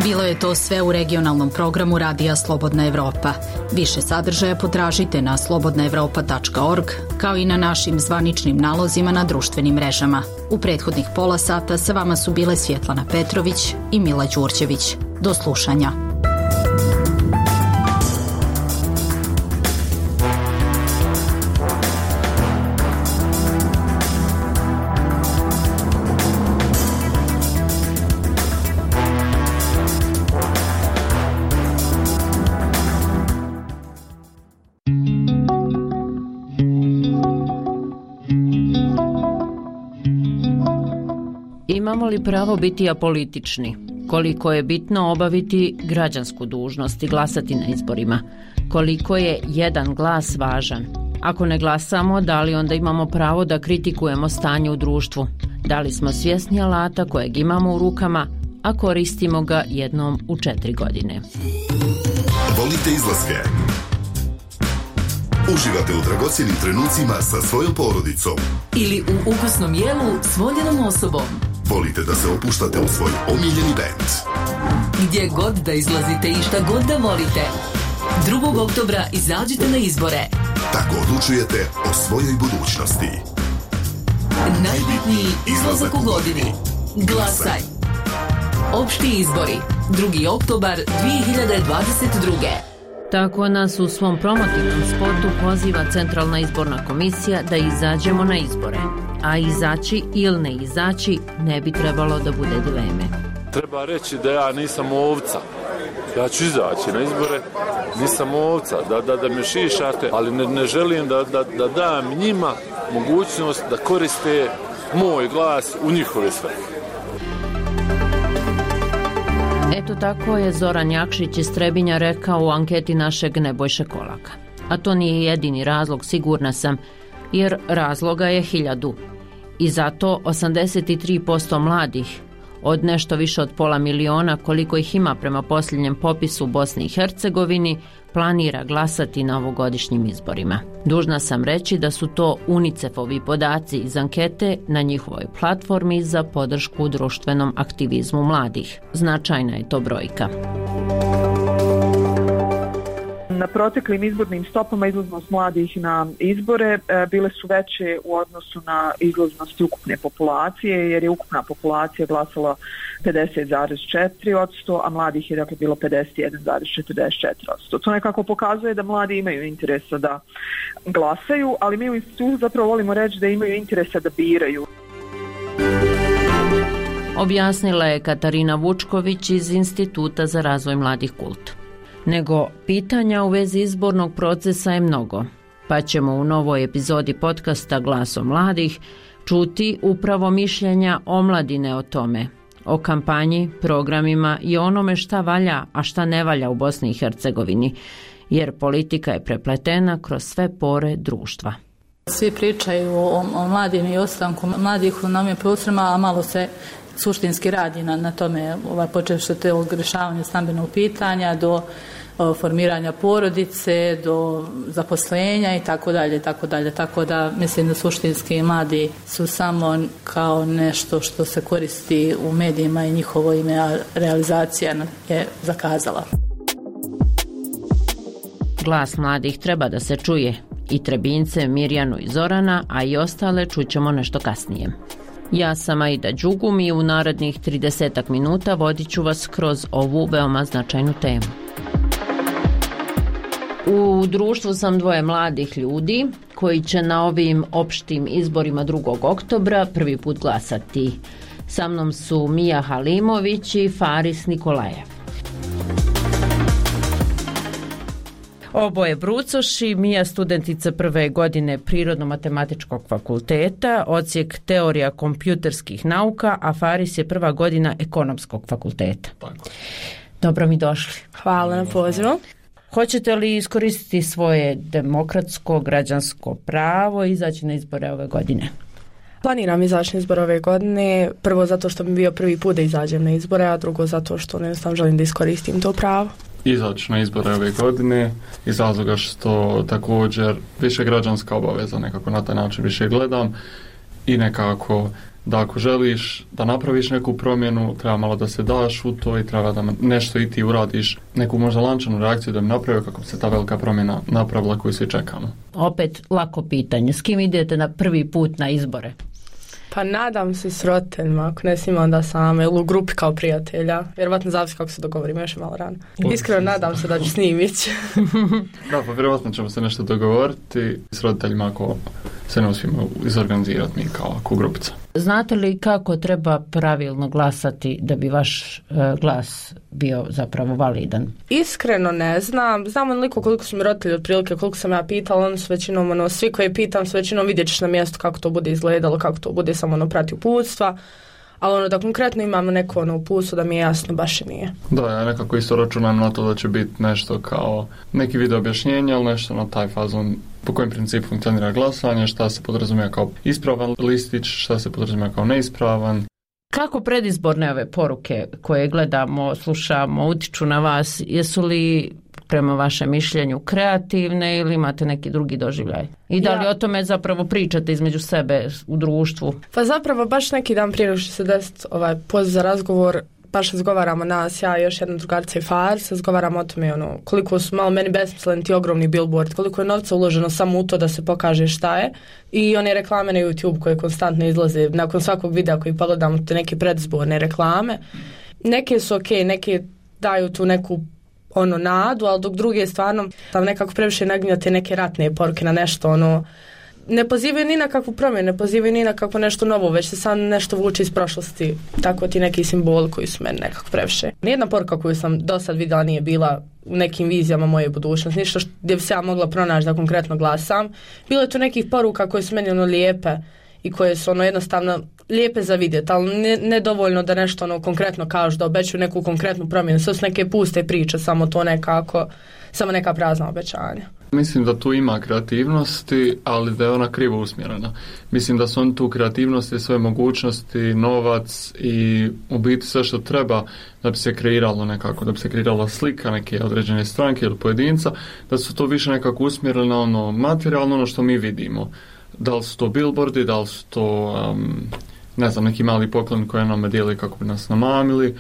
[SPEAKER 1] Bilo je to sve u regionalnom programu Radija Slobodna Evropa. Više sadržaja potražite na slobodnaevropa.org, kao i na našim zvaničnim nalozima na društvenim mrežama. U prethodnih pola sata sa vama su bile Svjetlana Petrović i Mila Đurđević. Do slušanja.
[SPEAKER 4] Imamo li pravo biti apolitični? Koliko je bitno obaviti građansku dužnost i glasati na izborima? Koliko je jedan glas važan? Ako ne glasamo, da li onda imamo pravo da kritikujemo stanje u društvu? Da li smo svjesni alata kojeg imamo u rukama, a koristimo ga jednom u 4 godine?
[SPEAKER 5] Volite izlaske? Uživate u dragocjenim trenucima sa svojom porodicom?
[SPEAKER 6] Ili u ukusnom jelu s voljenom osobom?
[SPEAKER 5] Volite da se opuštate u svoj omiljeni bend?
[SPEAKER 6] Gdje god da izlazite i šta god da volite, 2. oktobra izađite na izbore.
[SPEAKER 5] Tako odlučujete o svojoj budućnosti.
[SPEAKER 6] Najbitniji izlazak u godini. Glasaj. Opšti izbori. 2. oktobar 2022.
[SPEAKER 4] Tako nas u svom promotivnom spotu poziva Centralna izborna komisija da izađemo na izbore. A izaći ili ne izaći ne bi trebalo da bude dileme.
[SPEAKER 8] Treba reći da ja nisam ovca. Ja ću izaći na izbore, nisam ovca, da me šišate, ali ne želim da dam njima mogućnost da koriste moj glas u njihove svrhe.
[SPEAKER 4] Eto tako je Zoran Jakšić iz Trebinja rekao u anketi našeg Nebojše Kolaka. A to nije jedini razlog, sigurna sam, jer razloga je 1000. I zato 83% mladih, od nešto više od 500.000 koliko ih ima prema posljednjem popisu u Bosni i Hercegovini, planira glasati na ovogodišnjim izborima. Dužna sam reći da su to UNICEF-ovi podaci iz ankete na njihovoj platformi za podršku društvenom aktivizmu mladih. Značajna je to brojka.
[SPEAKER 25] Na proteklim izbornim stopama izlaznost mladih na izbore bile su veće u odnosu na izlaznosti ukupne populacije, jer je ukupna populacija glasala 50,4%, a mladih je dakle bilo 51,44%. To nekako pokazuje da mladi imaju interesa da glasaju, ali mi u institutu zapravo volimo reći da imaju interesa da biraju.
[SPEAKER 4] Objasnila je Katarina Vučković iz Instituta za razvoj mladih KULT. Nego pitanja u vezi izbornog procesa je mnogo, pa ćemo u novoj epizodi podcasta Glaso mladih čuti upravo mišljenja omladine o tome, o kampanji, programima i onome šta valja, a šta ne valja u Bosni i Hercegovini, jer politika je prepletena kroz sve pore društva.
[SPEAKER 26] Svi pričaju o mladim i ostanku mladih na ovim prostorima, a malo se suštinski radi na tome, počevši od tog rješavanja stambenog pitanja do formiranja porodice, do zaposlenja i tako dalje, tako dalje. Tako da mislim da suštinski mladi su samo kao nešto što se koristi u medijima i njihovo ime, a realizacija je zakazala.
[SPEAKER 4] Glas mladih treba da se čuje. I Trebince, Mirjanu i Zorana, a i ostale čućemo nešto kasnije. Ja sam Aida Đugum i u narednih 30 minuta vodit ću vas kroz ovu veoma značajnu temu. U društvu sam 2 mladih ljudi koji će na ovim opštim izborima 2. oktobra prvi put glasati. Sa mnom su Mija Halimović i Faris Nikolajev. Oboje brucoši, Mija studentica 1. godine Prirodno-matematičkog fakulteta, odsjek teorija kompjuterskih nauka, a Faris je 1. godina Ekonomskog fakulteta. Tako. Dobro mi došli.
[SPEAKER 27] Hvala na pozivu.
[SPEAKER 4] Hoćete li iskoristiti svoje demokratsko, građansko pravo i izaći na izbore ove godine?
[SPEAKER 27] Planiram izaći na izbore ove godine, prvo zato što mi bio prvi put da izađem na izbore, a drugo zato što jednostavno želim da iskoristim to pravo.
[SPEAKER 28] Izaći na izbore ove godine iz razloga što također više građanska obaveza, nekako na taj način više gledam i nekako da ako želiš da napraviš neku promjenu, treba malo da se daš u to i treba da nešto i ti uradiš, neku možda lančanu reakciju da bi napravio kako bi se ta velika promjena napravila koju svi čekamo.
[SPEAKER 4] Opet lako pitanje, s kim idete na prvi put na izbore?
[SPEAKER 27] Pa nadam se s roditeljima, ako ne svima onda same, ili u grupi kao prijatelja. Vjerovatno zavisi kako se dogovorimo, još je malo rano. Iskreno nadam se da ću s njim ići.
[SPEAKER 28] Da, pa vjerovatno ćemo se nešto dogovoriti s roditeljima ako se ne uspijemo izorganizirati mi kao grupica.
[SPEAKER 4] Znate li kako treba pravilno glasati da bi vaš glas bio zapravo validan?
[SPEAKER 27] Iskreno ne znam. Znam onoliko koliko su mi roditelji otprilike, koliko sam ja pitala, oni su većinom, svi koji pitam su većinom vidjet ćeš na mjestu kako to bude izgledalo, kako to bude, samo prati uputstva. ali da konkretno imamo neko uputstvo da mi je jasno, baš i nije.
[SPEAKER 28] Da, ja nekako isto računam na to da će biti nešto kao neki video objašnjenja, ali nešto na taj fazon po kojem principu funkcionira glasanje, šta se podrazumijeva kao ispravan listić, šta se podrazumijeva kao neispravan.
[SPEAKER 4] Kako predizborne ove poruke koje gledamo, slušamo, utiču na vas, jesu li prema vašem mišljenju kreativne ili imate neki drugi doživljaj? I da li o tome zapravo pričate između sebe u društvu?
[SPEAKER 27] Pa zapravo baš neki dan prije nego što se desiti poziv za razgovor, baš razgovaramo nas, ja i još jedna drugarica i Fars, razgovaramo o tome koliko su malo meni besmisleni ti ogromni billboard, koliko je novca uloženo samo u to da se pokaže šta je, i one reklame na YouTube koje konstantno izlaze nakon svakog videa koji pogledamo, te neke predizborne reklame. Neke su okej, neke daju tu neku nadu, ali dok druge stvarno tam nekako previše naginjate neke ratne poruke na nešto, ne pozivaju ni na kakvu promjenu, ne pozivaju ni na kakvo nešto novo, već se sam nešto vuče iz prošlosti. Tako ti neki simboli koji su meni nekako previše. Nijedna poruka koju sam do sad vidjela nije bila u nekim vizijama moje budućnosti, ništa gdje bi se ja mogla pronaći da konkretno glasam. Bilo je tu nekih poruka koje su meni lijepe i koje su jednostavno lijepe za vidjeti, ali ne dovoljno da nešto konkretno kažu, da obećaju neku konkretnu promjenu. Sve su neke puste priče, samo to nekako, samo neka prazna obećanja.
[SPEAKER 28] Mislim da tu ima kreativnosti, ali da je ona krivo usmjerena. Mislim da su oni tu kreativnosti, svoje mogućnosti, novac i u biti sve što treba da bi se kreiralo nekako, da bi se kreirala slika neke određene stranke ili pojedinca, da su to više nekako usmjerili na materijalno, što mi vidimo. Da li su to billboardi, da li su to neki mali poklon koje nam dijeli kako bi nas namamili,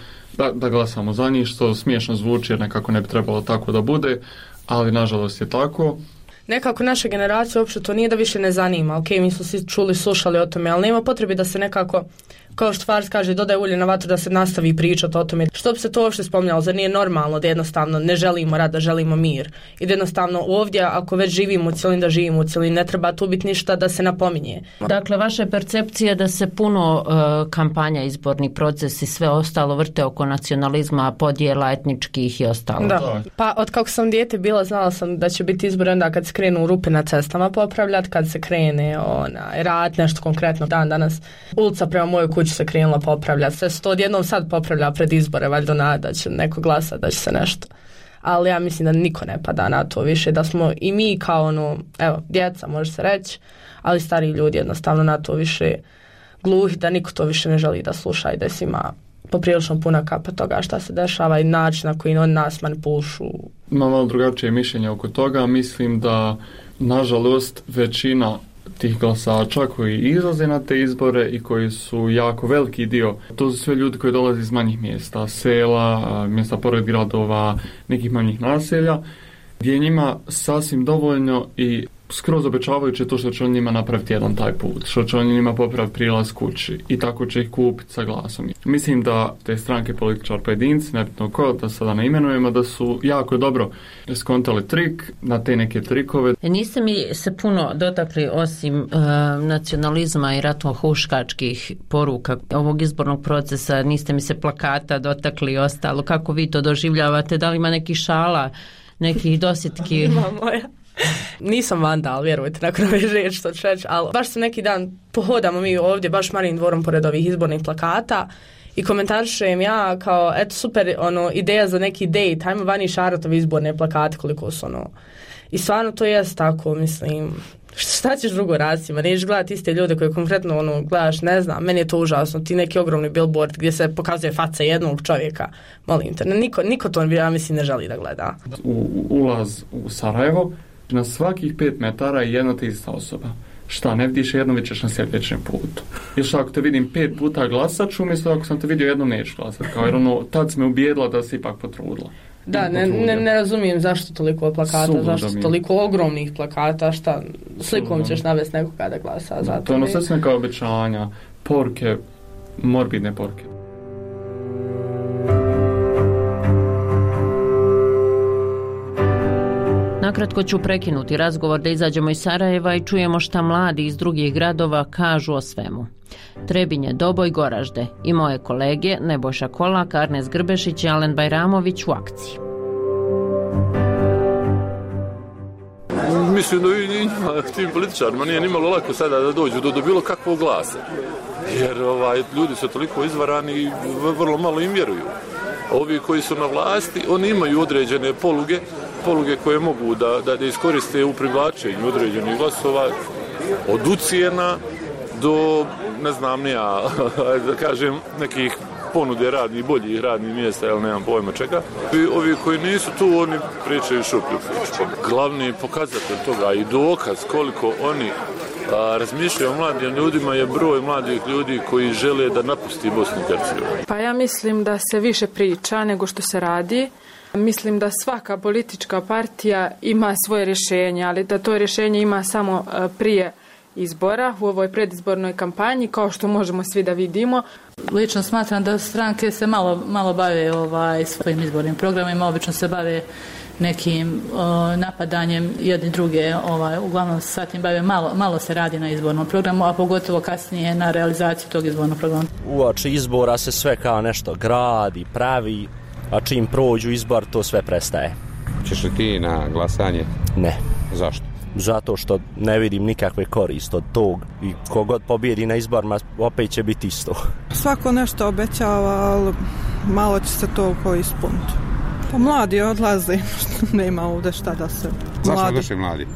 [SPEAKER 28] da glasamo za njih, što smiješno zvuči jer nekako ne bi trebalo tako da bude, ali nažalost je tako.
[SPEAKER 27] Nekako naša generacija uopće to nije da više ne zanima. Ok, mi smo svi čuli, slušali o tome, ali nema potrebe da se nekako, kao što Fars kaže, dodaje ulje na vatru da se nastavi pričati o tome. Što bi se to uopšte spominjalo? Zar nije normalno da jednostavno ne želimo rad, da želimo mir? I da jednostavno ovdje, ako već živimo u cijelini, da živimo u cijelini, ne treba tu biti ništa da se napominje.
[SPEAKER 4] Dakle, vaša percepcija da se puno kampanja, izborni proces i sve ostalo vrte oko nacionalizma, podjela etničkih i ostalo.
[SPEAKER 27] Da. Pa od kako sam dijete bila, znala sam da će biti izbori onda kad se krenu rupe na cestama popravljati, kad se krene rad, nešto konkretno. Danas ulica prema mojoj kući se krenula popravljati. Sve se to odjednom sad popravlja pred izbore, valjda nada da će neko glasati, da će se nešto. Ali ja mislim da niko ne pada na to više, da smo i mi kao djeca može se reći, ali stariji ljudi jednostavno na to više gluhi, da niko to više ne želi da sluša i da svima poprilično puna kapa toga šta se dešava i način na koji oni nas manipulišu.
[SPEAKER 28] Imam malo drugačije mišljenje oko toga. Mislim da nažalost većina tih glasača koji izlaze na te izbore i koji su jako veliki dio, to su sve ljudi koji dolaze iz manjih mjesta, sela, mjesta pored gradova, nekih manjih naselja, gdje je njima sasvim dovoljno i skroz obećavajuće to što će on njima napraviti jedan taj put, što će on njima popraviti prilaz kući i tako će ih kupiti sa glasom. Mislim da te stranke, političar, pojedinci, nebitno ko, da sada ne imenujemo, da su jako dobro skontali trik na te neke trikove.
[SPEAKER 4] Niste mi se puno dotakli osim nacionalizma i ratno-huškačkih poruka ovog izbornog procesa, niste mi se plakata dotakli i ostalo. Kako vi to doživljavate? Da li ima nekih šala, nekih dosjetki?
[SPEAKER 27] Ima moja. Nisam vandal, vjerujte, nakon ove riječi što ću reći, ali baš se neki dan pohodamo mi ovdje, baš Marijin dvorom pored ovih izbornih plakata i komentarišem ja kao, eto super, ideja za neki date, hajmo vani šaratovi izborne plakate koliko su i stvarno to jest tako, mislim, šta ćeš drugo raditi, nećeš gledati iste ljude koje konkretno gledaš, ne znam, meni je to užasno, ti neki ogromni billboard gdje se pokazuje faca jednog čovjeka, molim te, niko to ja mislim ne želi da gleda.
[SPEAKER 28] Ulaz u Sarajevo, na svakih 5 metara je jedna te ista osoba. Šta, ne vidiš jednom, vidiš na sljedećem putu. Ili šta, ako te vidim 5 puta glasat ću, umjesto ako sam te vidio jednom neću glasat. Kao, jer tad si me ubijedila da si ipak potrudila.
[SPEAKER 27] Da, ne razumijem zašto toliko plakata, zašto toliko ogromnih plakata, šta, slikom ćeš navesti nekoga da glasa.
[SPEAKER 28] Da, to je sve su neka obećanja, poruke, morbidne poruke.
[SPEAKER 4] Nakratko ću prekinuti razgovor da izađemo iz Sarajeva i čujemo šta mladi iz drugih gradova kažu o svemu. Trebinje, Doboj, Goražde i moje kolege Nebojša Kolak, Arnes Grbešić i Alen Bajramović u akciji.
[SPEAKER 8] Mislim da tim političarima nije nimalo lako sada da dođu do bilo kakvog glasa. jer ljudi su toliko izvarani i vrlo malo im vjeruju. Ovi koji su na vlasti, oni imaju određene poluge koje mogu da iskoriste u privlačenju određenih glasova, od ucijena do, ne znam nija, da kažem, nekih ponude boljih radnih mjesta, ili nemam pojma čega. Ovi koji nisu tu, oni pričaju šuplju priču. Glavni pokazatelj toga i dokaz koliko oni razmišljaju o mladim ljudima je broj mladih ljudi koji žele da napusti Bosnu i Hercegovinu.
[SPEAKER 27] Pa ja mislim da se više priča nego što se radi. Mislim da svaka politička partija ima svoje rješenje, ali da to rješenje ima samo prije izbora u ovoj predizbornoj kampanji, kao što možemo svi da vidimo.
[SPEAKER 26] Lično smatram da stranke se malo bave svojim izbornim programima, obično se bave nekim napadanjem jedni druge, uglavnom se sa tim bave, malo se radi na izbornom programu, a pogotovo kasnije na realizaciji tog izbornog programa.
[SPEAKER 2] Uoči izbora se sve kao nešto gradi, pravi, a čim prođu izbor to sve prestaje.
[SPEAKER 7] Češ li ti na glasanje?
[SPEAKER 2] Ne.
[SPEAKER 7] Zašto?
[SPEAKER 2] Zato što ne vidim nikakve koriste od tog i kogod pobjedi na izborima opet će biti isto.
[SPEAKER 9] Svako nešto obećava, ali malo će se toliko ispuniti. Pa mladi odlaze, nema ovdje šta da se...
[SPEAKER 7] Zašto odlaze mladi?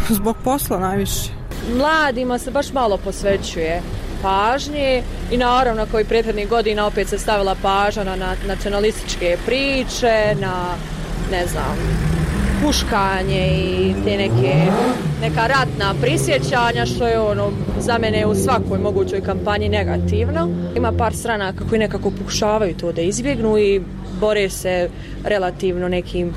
[SPEAKER 9] Zbog posla najviše.
[SPEAKER 10] Mladima se baš malo posvećuje pažnje i naravno kao i prethodnih godina opet se stavila pažnja na nacionalističke priče, na ne znam, puškanje i te neka ratna prisjećanja, što je za mene u svakoj mogućoj kampanji negativno. Ima par stranaka koji nekako pokušavaju to da izbjegnu i bore se relativno nekim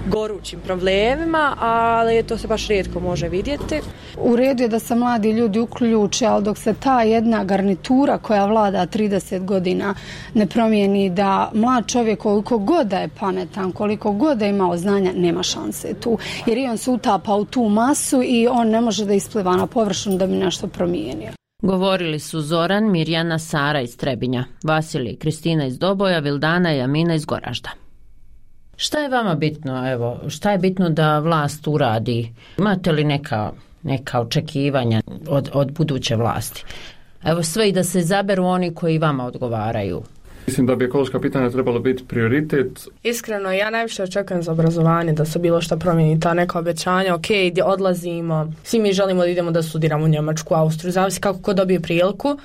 [SPEAKER 10] gorućim problemima, ali to se baš rijetko može vidjeti.
[SPEAKER 11] U redu je da se mladi ljudi uključe, ali dok se ta jedna garnitura koja vlada 30 godina ne promijeni, da mlad čovjek koliko god da je pametan, koliko god da je imao znanja, nema šanse tu. Jer i on se utapa u tu masu i on ne može da ispliva na površinu da bi nešto promijenio.
[SPEAKER 4] Govorili su Zoran, Mirjana, Sara iz Trebinja, Vasilij, Kristina iz Doboja, Vildana i Amina iz Goražda. Šta je vama bitno, šta je bitno da vlast uradi? Imate li neka očekivanja od buduće vlasti? Sve i da se izaberu oni koji vama odgovaraju.
[SPEAKER 28] Mislim da bi ekološka pitanja trebalo biti prioritet.
[SPEAKER 27] Iskreno, ja najviše očekujem za obrazovanje, da se bilo što promijeni, ta neka obećanja, gdje odlazimo, svi mi želimo da idemo da studiramo u Njemačku, Austriju, zavisi kako ko dobije priliku.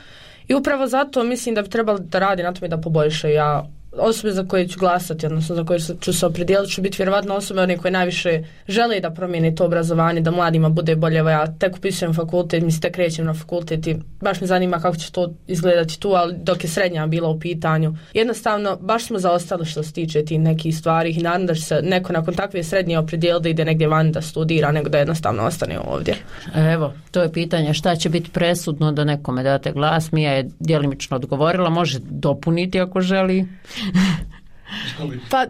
[SPEAKER 27] I upravo zato mislim da bi trebalo da radi na tome da poboljšaju. Osobe za koje ću glasati, odnosno za koje ću se opredijeliti, ću biti vjerovatno osobe one koje najviše žele da promijene to obrazovanje, da mladima bude bolje. Evo ja tek upisujem fakultet, tek krećem na fakultet i baš me zanima kako će to izgledati tu, ali dok je srednja bila u pitanju. Jednostavno, baš smo zaostali što se tiče tih nekih stvari i naravno da će se neko nakon takve srednje opredijeliti da ide negdje van da studira, nego da jednostavno ostane ovdje.
[SPEAKER 4] To je pitanje šta će biti presudno da nekome date glas. Mija je djelimično odgovorila, može dopuniti ako želi.
[SPEAKER 27] Pa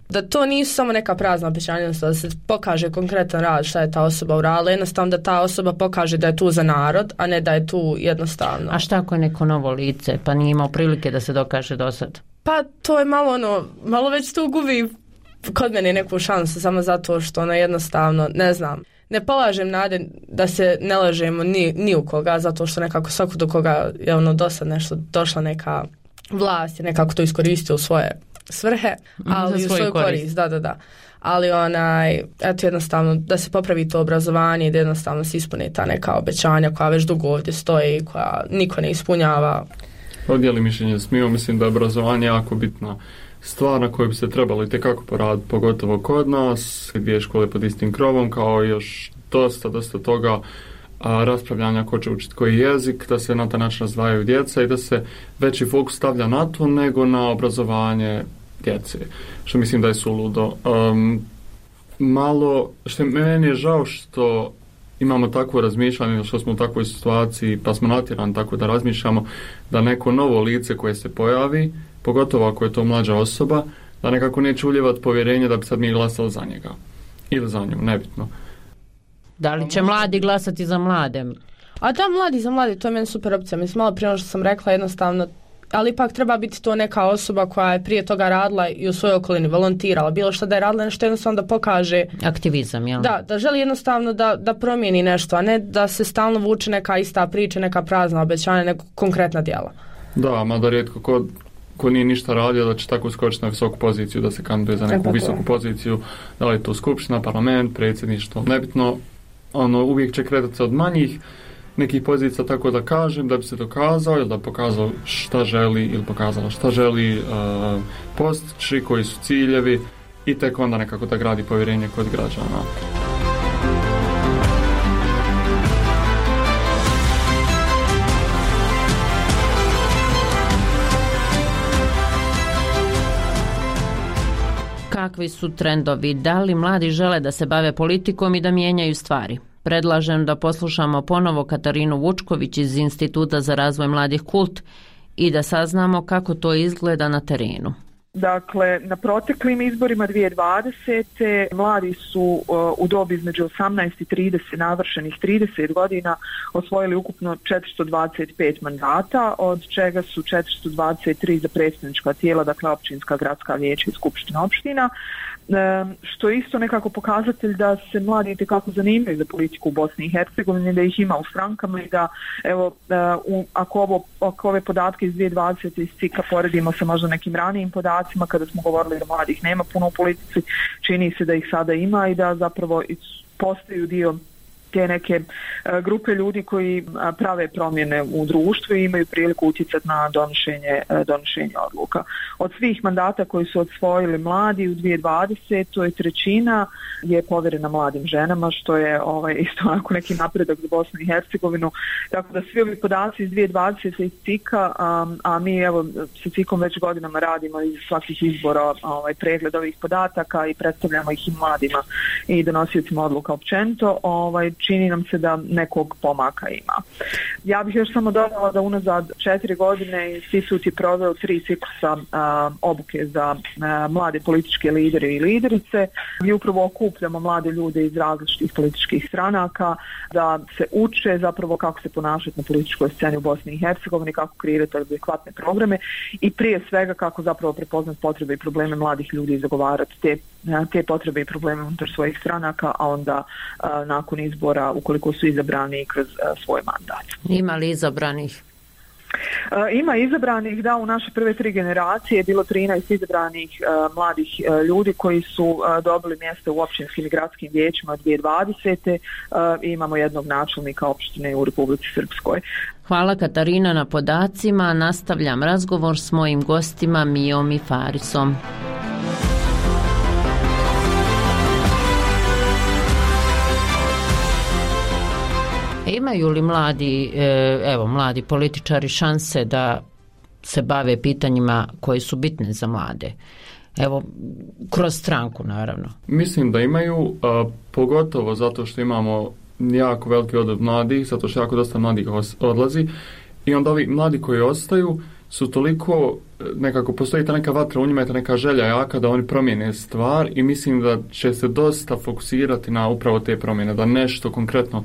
[SPEAKER 27] da to nisu samo neka prazna obećanja, da se pokaže konkretan rad šta je ta osoba uradila, jednostavno da ta osoba pokaže da je tu za narod, a ne da je tu jednostavno.
[SPEAKER 4] A šta ako je neko novo lice, pa nije imao prilike da se dokaže do sad?
[SPEAKER 27] Pa to je malo već tu gubi kod mene neku šansu, samo zato što jednostavno, ne znam, ne polažem nade da se ne lažemo ni u koga, zato što nekako svako do koga je do sad nešto došla neka vlast je nekako to iskoristio u svoje svrhe, ali u svoju korist. Da. Ali jednostavno da se popravi to obrazovanje i da jednostavno se ispune ta neka obećanja koja već dugo ovdje stoje i koja niko ne ispunjava.
[SPEAKER 28] Odijeli mišljenje smiju, mislim da je obrazovanje jako bitna stvar na kojoj bi se trebalo itekako poraditi, pogotovo kod nas, dvije škole pod istim krovom, kao još dosta toga raspravljanja ko će učiti koji jezik, da se na taj način razdvajaju djeca i da se veći fokus stavlja na to nego na obrazovanje djece, što mislim da je suludo. Što meni je žao što imamo takvo razmišljanje, što smo u takvoj situaciji, pa smo natjerani tako da razmišljamo da neko novo lice koje se pojavi, pogotovo ako je to mlađa osoba, da nekako neće uljevati povjerenje da bi sad mi glasali za njega ili za nju, nebitno.
[SPEAKER 4] Da li će mladi glasati za mlade?
[SPEAKER 27] A da, mladi za mladi, to je meni super opcija. Mislim, malo prije što sam rekla, jednostavno ali ipak treba biti to neka osoba koja je prije toga radila i u svojoj okolini, volontirala, bilo što da je radila, nešto jednostavno da pokaže
[SPEAKER 4] aktivizam, jel?
[SPEAKER 27] Da želi jednostavno da promijeni nešto, a ne da se stalno vuče neka ista priča, neka prazna obećanja, neka konkretna djela.
[SPEAKER 28] Da, mada rijetko ko nije ništa radio da će tako skočiti na visoku poziciju, da se kandiduje za neku visoku poziciju, da li je to skupština, parlament, predsjedništvo, nebitno, uvijek će kretati se od manjih nekih pozicija, tako da kažem, da bi se dokazao ili da pokazao šta želi ili pokazala šta želi postići, koji su ciljevi i tek onda nekako da gradi povjerenje kod građana.
[SPEAKER 4] Kakvi su trendovi? Da li mladi žele da se bave politikom i da mijenjaju stvari? Predlažem da poslušamo ponovo Katarinu Vučković iz Instituta za razvoj mladih Kult i da saznamo kako to izgleda na terenu.
[SPEAKER 25] Dakle, na proteklim izborima 2020. mladi su u dobi između 18 i 30, navršenih 30 godina, osvojili ukupno 425 mandata, od čega su 423 za predstavnička tijela, dakle općinska, gradska vijeća i skupština opština, što je isto nekako pokazatelj da se mladi itekako zanimaju za politiku u Bosni i Hercegovini, da ih ima u strankama i da, evo, ako ove podatke iz 2020. iz CIK-a poredimo sa možda nekim ranijim podacima, kada smo govorili da mladih nema puno u politici, čini se da ih sada ima i da zapravo postaju dio te neke grupe ljudi koji prave promjene u društvu i imaju priliku utjecati na donošenje odluka. Od svih mandata koji su osvojili mladi u 2020. trećina je povjerena mladim ženama, što je isto onako neki napredak za Bosnu i Hercegovinu. Tako da svi ovi podaci iz 2020. iz CIK-a, a mi evo sa CIK-om već godinama radimo iz svakih izbora pregled ovih podataka i predstavljamo ih i mladima i donosiocima odluka općenito, čini nam se da nekog pomaka ima. Ja bih još samo dodala da unazad 4 godine institut je proveo 3 ciklusa obuke za mlade političke lidere i liderice, gdje upravo okupljamo mlade ljude iz različitih političkih stranaka da se uče zapravo kako se ponašati na političkoj sceni u Bosni i Hercegovini, kako kreirati adekvatne programe i prije svega kako zapravo prepoznati potrebe i probleme mladih ljudi i zagovarati te potrebe i probleme unutar svojih stranaka, a onda nakon izbora, ukoliko su izabrani, kroz svoj mandat.
[SPEAKER 4] Ima li izabranih?
[SPEAKER 25] Ima izabranih, da, u naše prve 3 generacije je bilo 13 izabranih mladih ljudi koji su dobili mjesta u općinskim i gradskim vijećima od 2020. Imamo jednog načelnika opštine u Republici Srpskoj.
[SPEAKER 4] Hvala Katarina na podacima. Nastavljam razgovor s mojim gostima Mijom i Farisom. Imaju li mladi političari šanse da se bave pitanjima koji su bitne za mlade? Evo, kroz stranku, naravno.
[SPEAKER 28] Mislim da imaju, pogotovo zato što imamo jako veliki odliv mladih, zato što jako dosta mladih odlazi i onda ovi mladi koji ostaju su toliko, nekako postoji ta neka vatra u njima, ta neka želja jaka da oni promijene stvar i mislim da će se dosta fokusirati na upravo te promjene, da nešto konkretno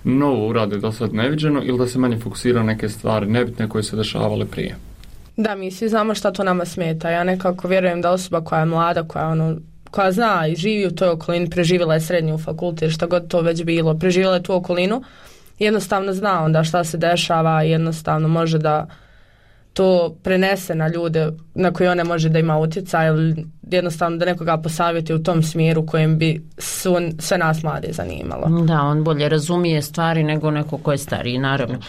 [SPEAKER 28] novo urade do sad neviđeno ili da se manje fokusira neke stvari nebitne koje se dešavale prije.
[SPEAKER 27] Da, mi svi znamo šta to nama smeta. Ja nekako vjerujem da osoba koja je mlada, koja zna i živi u toj okolini, preživjela je srednju fakultet, šta god to već bilo, preživjela je tu okolinu, jednostavno zna onda šta se dešava i jednostavno može da to prenese na ljude na koje one može da ima utjecaj ili jednostavno da nekoga posavjeti u tom smjeru kojem bi sve nas mlade zanimalo.
[SPEAKER 4] Da, on bolje razumije stvari nego neko ko je stariji, naravno.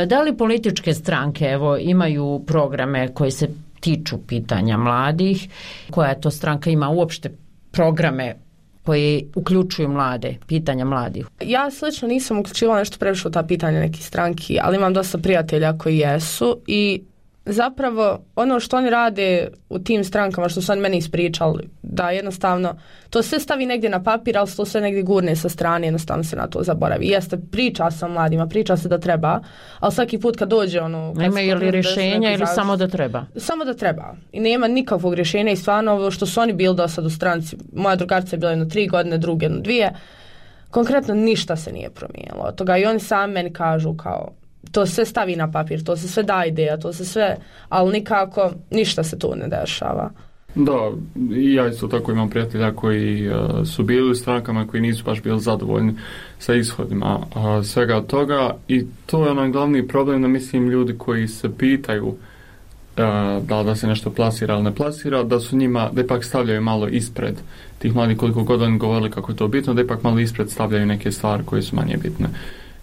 [SPEAKER 4] Da li političke stranke imaju programe koji se tiču pitanja mladih? Koja to stranka ima uopšte programe koji uključuju mlade, pitanja mladih?
[SPEAKER 27] Ja slično nisam uključivala nešto previše u ta pitanja nekih stranki, ali imam dosta prijatelja koji jesu i zapravo ono što oni rade u tim strankama, što su oni meni ispričali, da jednostavno to sve stavi negdje na papir, ali to sve negdje gurne sa strane, jednostavno se na to zaboravi. Jeste, priča se o mladima, priča se da treba, ali svaki put kad dođe
[SPEAKER 4] Nemaju li rješenja ili samo da treba?
[SPEAKER 27] Samo da treba. I nema nikakvog rješenja i stvarno ovo što su oni bili do sad u stranci, moja drugarica je bila 3 godine, druge 2, konkretno ništa se nije promijenilo od toga i oni sami meni kažu kao to sve stavi na papir, to se sve da ideja, to se sve, ali nikako ništa se tu ne dešava.
[SPEAKER 28] Da, i ja isto tako imam prijatelja koji su bili u strankama koji nisu baš bili zadovoljni sa ishodima svega toga i to je onaj glavni problem, da mislim ljudi koji se pitaju da se nešto plasira ili ne plasira, da su njima, da ipak stavljaju malo ispred tih mladih, koliko god oni govorili kako je to bitno, da ipak malo ispred stavljaju neke stvari koje su manje bitne.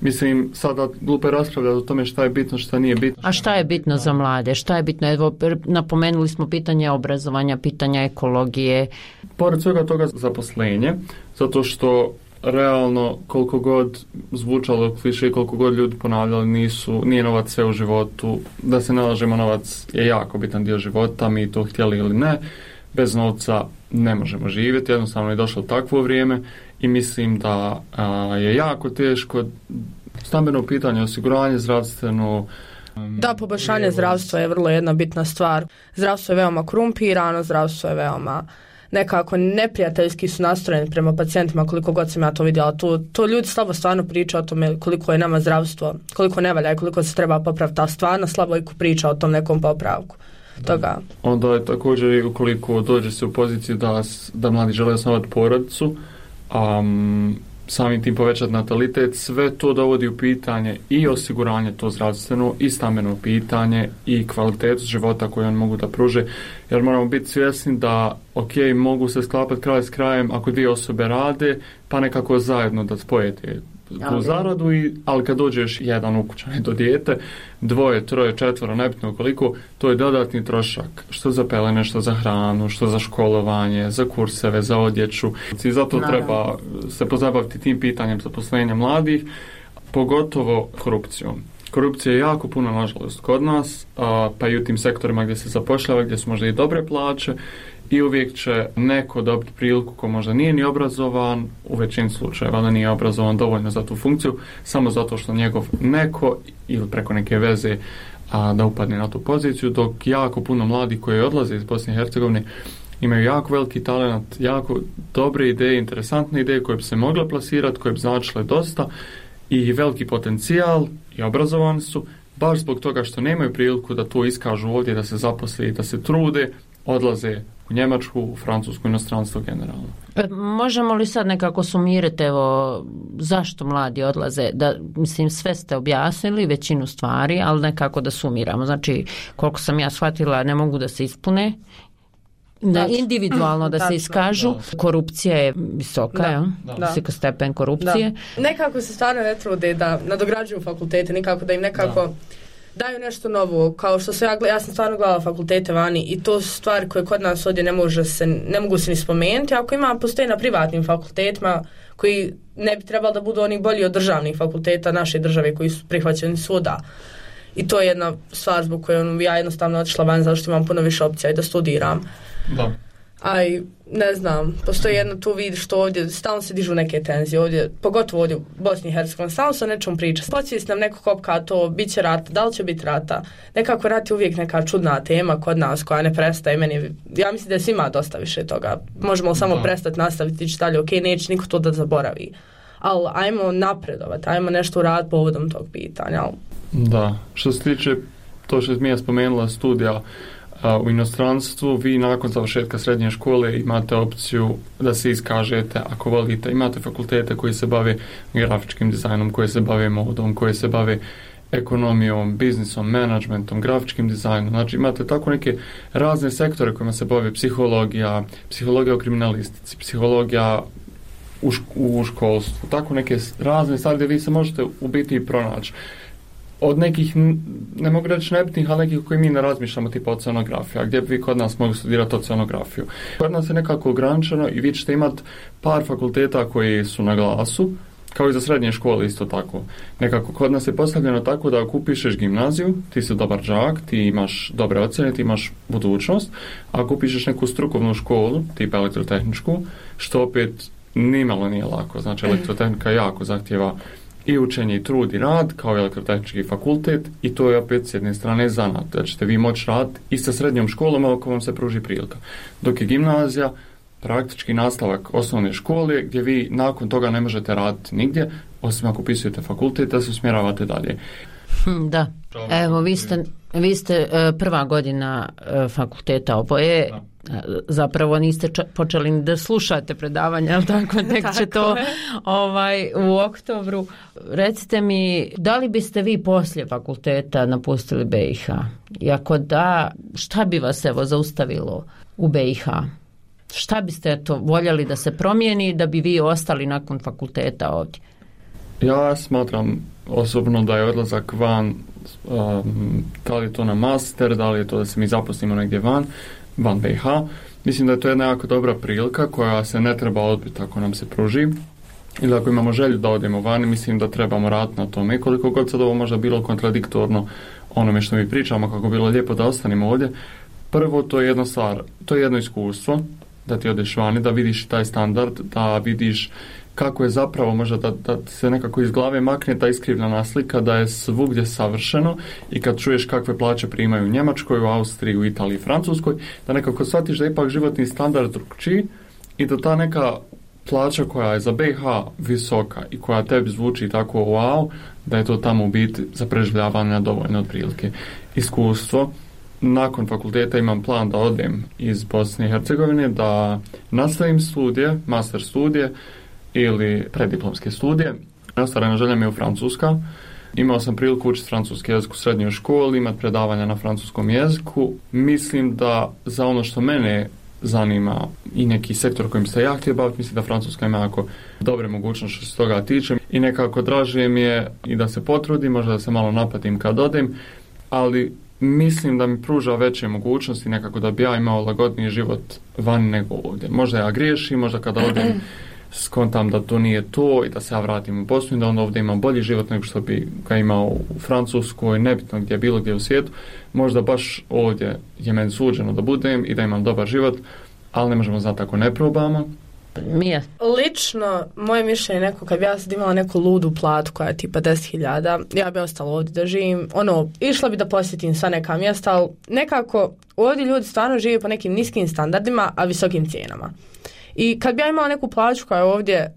[SPEAKER 28] Mislim, sada glupo je raspravljati o tome šta je bitno, šta nije bitno.
[SPEAKER 4] A šta je bitno za mlade? Šta je bitno? Evo, napomenuli smo pitanje obrazovanja, pitanja ekologije.
[SPEAKER 28] Pored svega toga zaposlenje, zato što realno koliko god zvučalo kliše, koliko god ljudi ponavljali, nije novac sve u životu, da se ne lažemo, novac je jako bitan dio života, mi to htjeli ili ne, bez novca ne možemo živjeti, jednostavno je došlo takvo vrijeme i mislim da je jako teško stambeno pitanje, osiguranje zdravstveno.
[SPEAKER 27] Da, poboljšanje zdravstva je vrlo jedna bitna stvar. Zdravstvo je veoma korumpirano, zdravstvo je veoma nekako neprijateljski su nastrojeni prema pacijentima, koliko god sam ja to vidjela. To ljudi slabo stvarno priča o tome koliko je nama zdravstvo, koliko ne valja i koliko se treba popraviti, a stvarno slabo priča o tom nekom popravku. Toga.
[SPEAKER 28] Onda je također ukoliko dođe se u poziciju da mladi žele osnovati porodicu, samim tim povećati natalitet, sve to dovodi u pitanje i osiguranje to zdravstveno i stambeno pitanje i kvalitetu života koju oni mogu da pruže, jer moramo biti svjesni da mogu se sklapati kraj s krajem ako dvije osobe rade, pa nekako zajedno da spojete tu zaradu, ali kad dođeš jedan ukućan do dijete, 2, 3, 4, nebitno koliko, to je dodatni trošak, što za pelene, što za hranu, što za školovanje, za kurseve, za odjeću. I zato treba se pozabaviti tim pitanjem zaposlenja mladih, pogotovo korupcijom. Korupcija je jako puno, nažalost, kod nas, pa i u tim sektorima gdje se zapošljava, gdje su možda i dobre plaće, i uvijek će neko dobiti priliku ko možda nije ni obrazovan, u većini slučajeva da nije obrazovan dovoljno za tu funkciju, samo zato što njegov neko ili preko neke veze da upadne na tu poziciju, dok jako puno mladih koji odlaze iz Bosne i Hercegovine imaju jako veliki talent, jako dobre ideje, interesantne ideje koje bi se mogle plasirati, koje bi značile dosta i veliki potencijal i obrazovani su, baš zbog toga što nemaju priliku da to iskažu ovdje, da se zaposle i da se trude, odlaze u Njemačku, u Francusku, inostranstvo generalno.
[SPEAKER 4] Možemo li sad nekako sumirati, evo, zašto mladi odlaze? Mislim, sve ste objasnili, većinu stvari, ali nekako da sumiramo. Znači, koliko sam ja shvatila, ne mogu da se ispune, individualno da se iskažu. Korupcija je visoka, visok stepen korupcije.
[SPEAKER 27] Nekako se stvarno ne trude da nadograđuju fakultete, nikako da im nekako daju nešto novo, kao što ja sam stvarno gledala fakultete vani i to su stvari koje kod nas ovdje ne mogu se ni spomenuti, ako postoji na privatnim fakultetima koji ne bi trebali da budu oni bolji od državnih fakulteta naše države koji su prihvaćeni svuda. I to je jedna stvar zbog koju ja jednostavno otišla van, zato što imam puno više opcija i da studiram.
[SPEAKER 28] Da.
[SPEAKER 27] Aj, ne znam, postoji jedno tu vidiš što ovdje, stalno se dižu neke tenzije ovdje, pogotovo ovdje u Bosni i Hercegovini, stalno se o nečem priča. Podsvijest nam neko kopka to, bit će rata, da li će biti rata. Nekako rat je uvijek neka čudna tema kod nas koja ne prestaje. Ja mislim da je svima dosta više toga. Možemo samo prestati nastaviti ići dalje, neće niko to da zaboravi. Ali ajmo napredovati, ajmo nešto uraditi povodom tog pitanja.
[SPEAKER 28] Da, što se tiče to što je Mija spomenula studija u inostranstvu, vi nakon završetka srednje škole imate opciju da se iskažete ako volite. Imate fakultete koji se bave grafičkim dizajnom, koji se bave modom, koji se bave ekonomijom, biznisom, menadžmentom, grafičkim dizajnom. Znači imate tako neke razne sektore kojima se bave psihologija u kriminalistici, psihologija u školstvu, tako neke razne stvari gdje vi se možete u biti pronaći. Od nekih, ne mogu reći nebitnih, ali nekih koji mi ne razmišljamo, tipa oceanografija, gdje bi vi kod nas mogli studirati oceanografiju. Kod nas je nekako ograničeno i vi ćete imati par fakulteta koji su na glasu, kao i za srednje škole isto tako. Nekako kod nas je postavljeno tako da ako upišeš gimnaziju, ti si dobar đak, ti imaš dobre ocjene, ti imaš budućnost. Ako upišeš neku strukovnu školu, tipa elektrotehničku, što opet nimalo nije lako. Znači elektrotehnika jako zahtjeva i učenje i trud i rad kao i elektrotehnički fakultet i to je opet s jedne strane zanat, da ćete vi moći raditi i sa srednjom školom ako vam se pruži prilika. Dok je gimnazija praktički nastavak osnovne škole gdje vi nakon toga ne možete raditi nigdje, osim ako upisujete fakultet da se usmjeravate dalje.
[SPEAKER 4] Da, evo vi ste prva godina fakulteta oboje, zapravo niste počeli ni da slušate predavanja, ali tako, tek će to u oktobru. Recite mi, da li biste vi poslije fakulteta napustili BiH? I ako da, šta bi vas zaustavilo u BiH? Šta biste voljeli da se promijeni da bi vi ostali nakon fakulteta ovdje?
[SPEAKER 28] Ja smatram osobno da je odlazak van, da li je to na master, da li je to da se mi zaposlimo negdje van BiH. Mislim da je to jedna jako dobra prilika koja se ne treba odbiti ako nam se pruži. Ili ako imamo želju da odemo vani, mislim da trebamo raditi na tome. I koliko god sad ovo možda bilo kontradiktorno onome što mi pričamo, kako bilo lijepo da ostanemo ovdje. Prvo, to je jedna stvar, to je jedno iskustvo, da ti odeš vani, da vidiš taj standard, da vidiš kako je zapravo možda da se nekako iz glave makne ta iskrivljena slika da je svugdje savršeno i kad čuješ kakve plaće primaju u Njemačkoj, u Austriji, u Italiji, Francuskoj, da nekako shvatiš da je ipak životni standard drukčiji i da ta neka plaća koja je za BiH visoka i koja tebi zvuči tako wow, da je to tamo u biti za preživljavanje dovoljno otprilike. Iskustvo. Nakon fakulteta imam plan da odem iz Bosne i Hercegovine, da nastavim studije, master studije ili prediplomske studije. Ostvarena želja mi je u Francuska. Imao sam priliku učiti francuski jezik u srednjoj školi, imati predavanja na francuskom jeziku. Mislim da za ono što mene zanima i neki sektor kojim se ja htio baviti, mislim da Francuska ima jako dobre mogućnosti što se toga tiče i nekako draže mi je i da se potrudim, možda da se malo napatim kad odem, ali mislim da mi pruža veće mogućnosti nekako da bi ja imao lagodniji život van nego ovdje. Možda ja griješim, možda kada odem skontam da to nije to i da se ja vratim u Bosnu i da onda ovdje imam bolji život nego što bi ga imao u Francuskoj, nebitno gdje bilo gdje u svijetu. Možda baš ovdje je meni suđeno da budem i da imam dobar život, ali ne možemo znati ako ne probamo.
[SPEAKER 4] Mija?
[SPEAKER 27] Lično, moje mišljenje neko, kad bi ja sad imala neku ludu platu koja je tipa 10.000, ja bi ostala ovdje da živim. Išla bi da posjetim sva neka mjesta, ali nekako ovdje ljudi stvarno žive po nekim niskim standardima, a visokim cijenama. I kad bi ja imala neku plaću koja je ovdje,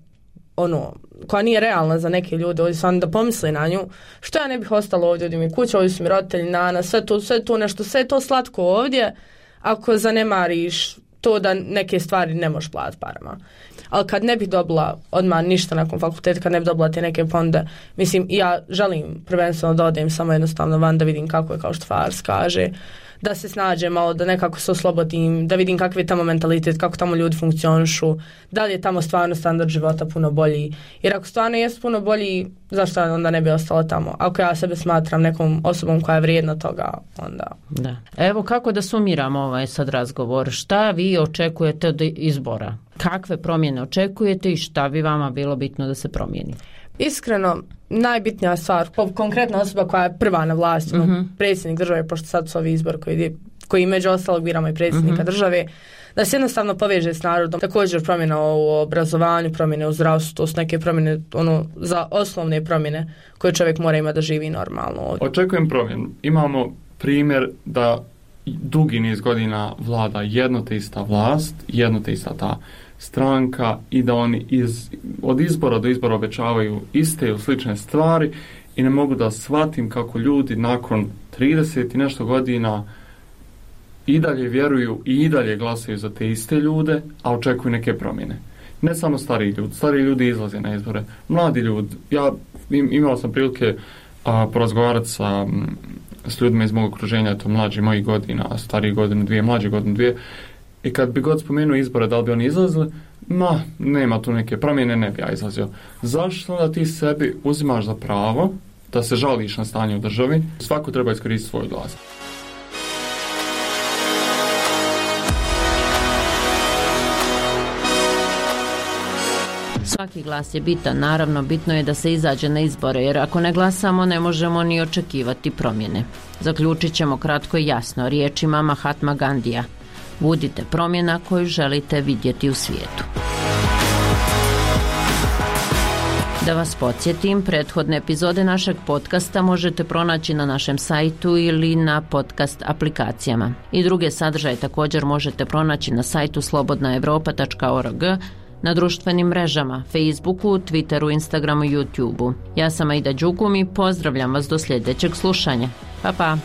[SPEAKER 27] koja nije realna za neke ljude, ovdje stvarno da pomisli na nju, što ja ne bih ostala ovdje, ovdje mi kuća, ovdje su mi roditelji, nana, sve to nešto, sve to slatko ovdje, ako zanemariš to da neke stvari ne možeš platiti parama. Ali kad ne bih dobila odmah ništa nakon fakulteta, kad ne bih dobila te neke fonde, mislim, ja želim prvenstveno da odem samo jednostavno van da vidim kako je, kao što Fars kaže, da se snađe malo, da nekako se oslobodim, da vidim kakav je tamo mentalitet, kako tamo ljudi funkcionišu, da li je tamo stvarno standard života puno bolji. Jer ako stvarno je puno bolji, zašto onda ne bi ostala tamo? Ako ja sebe smatram nekom osobom koja je vrijedna toga, onda...
[SPEAKER 4] Da. Evo kako da sumiramo ovaj sad razgovor. Šta vi očekujete od izbora? Kakve promjene očekujete i šta bi vama bilo bitno da se promijeni?
[SPEAKER 27] Iskreno, najbitnija stvar, konkretna osoba koja je prva na vlasti, predsjednik države, pošto sad su ovi izbor koji među ostalog biramo i predsjednika države, da se jednostavno poveže s narodom. Također promjena u obrazovanju, promjene u zdravstvu, to su neke promjene za osnovne promjene koje čovjek mora imati da živi normalno ovdje.
[SPEAKER 28] Očekujem promjenu. Imamo primjer da dugi niz godina vlada jedno te ista vlast, jedno te ista ta stranka i da oni od izbora do izbora obećavaju iste ili slične stvari i ne mogu da shvatim kako ljudi nakon 30 i nešto godina i dalje vjeruju i dalje glasaju za te iste ljude, a očekuju neke promjene. Ne samo stariji ljudi izlaze na izbore. Mladi ljudi, ja imao sam prilike porazgovarati s ljudima iz mog okruženja, to mlađi mojih godina, stariji godinu dvije, mlađi godinu dvije, i kad bi god spomenuo izbore, da li bi oni izlazili, nema tu neke promjene, ne bi ja izlazio. Zašto da ti sebi uzimaš za pravo da se žališ na stanje u državi? Svako treba iskoristiti svoj glas.
[SPEAKER 4] Svaki glas je bitan, naravno bitno je da se izađe na izbore, jer ako ne glasamo ne možemo ni očekivati promjene. Zaključit ćemo kratko i jasno riječima Mahatma Gandija. Budite promjena koju želite vidjeti u svijetu. Da vas podsjetim, prethodne epizode našeg podcasta možete pronaći na našem sajtu ili na podcast aplikacijama. I druge sadržaje također možete pronaći na sajtu slobodnaevropa.org, na društvenim mrežama, Facebooku, Twitteru, Instagramu i YouTubeu. Ja sam Aida Đugum i pozdravljam vas do sljedećeg slušanja. Pa pa!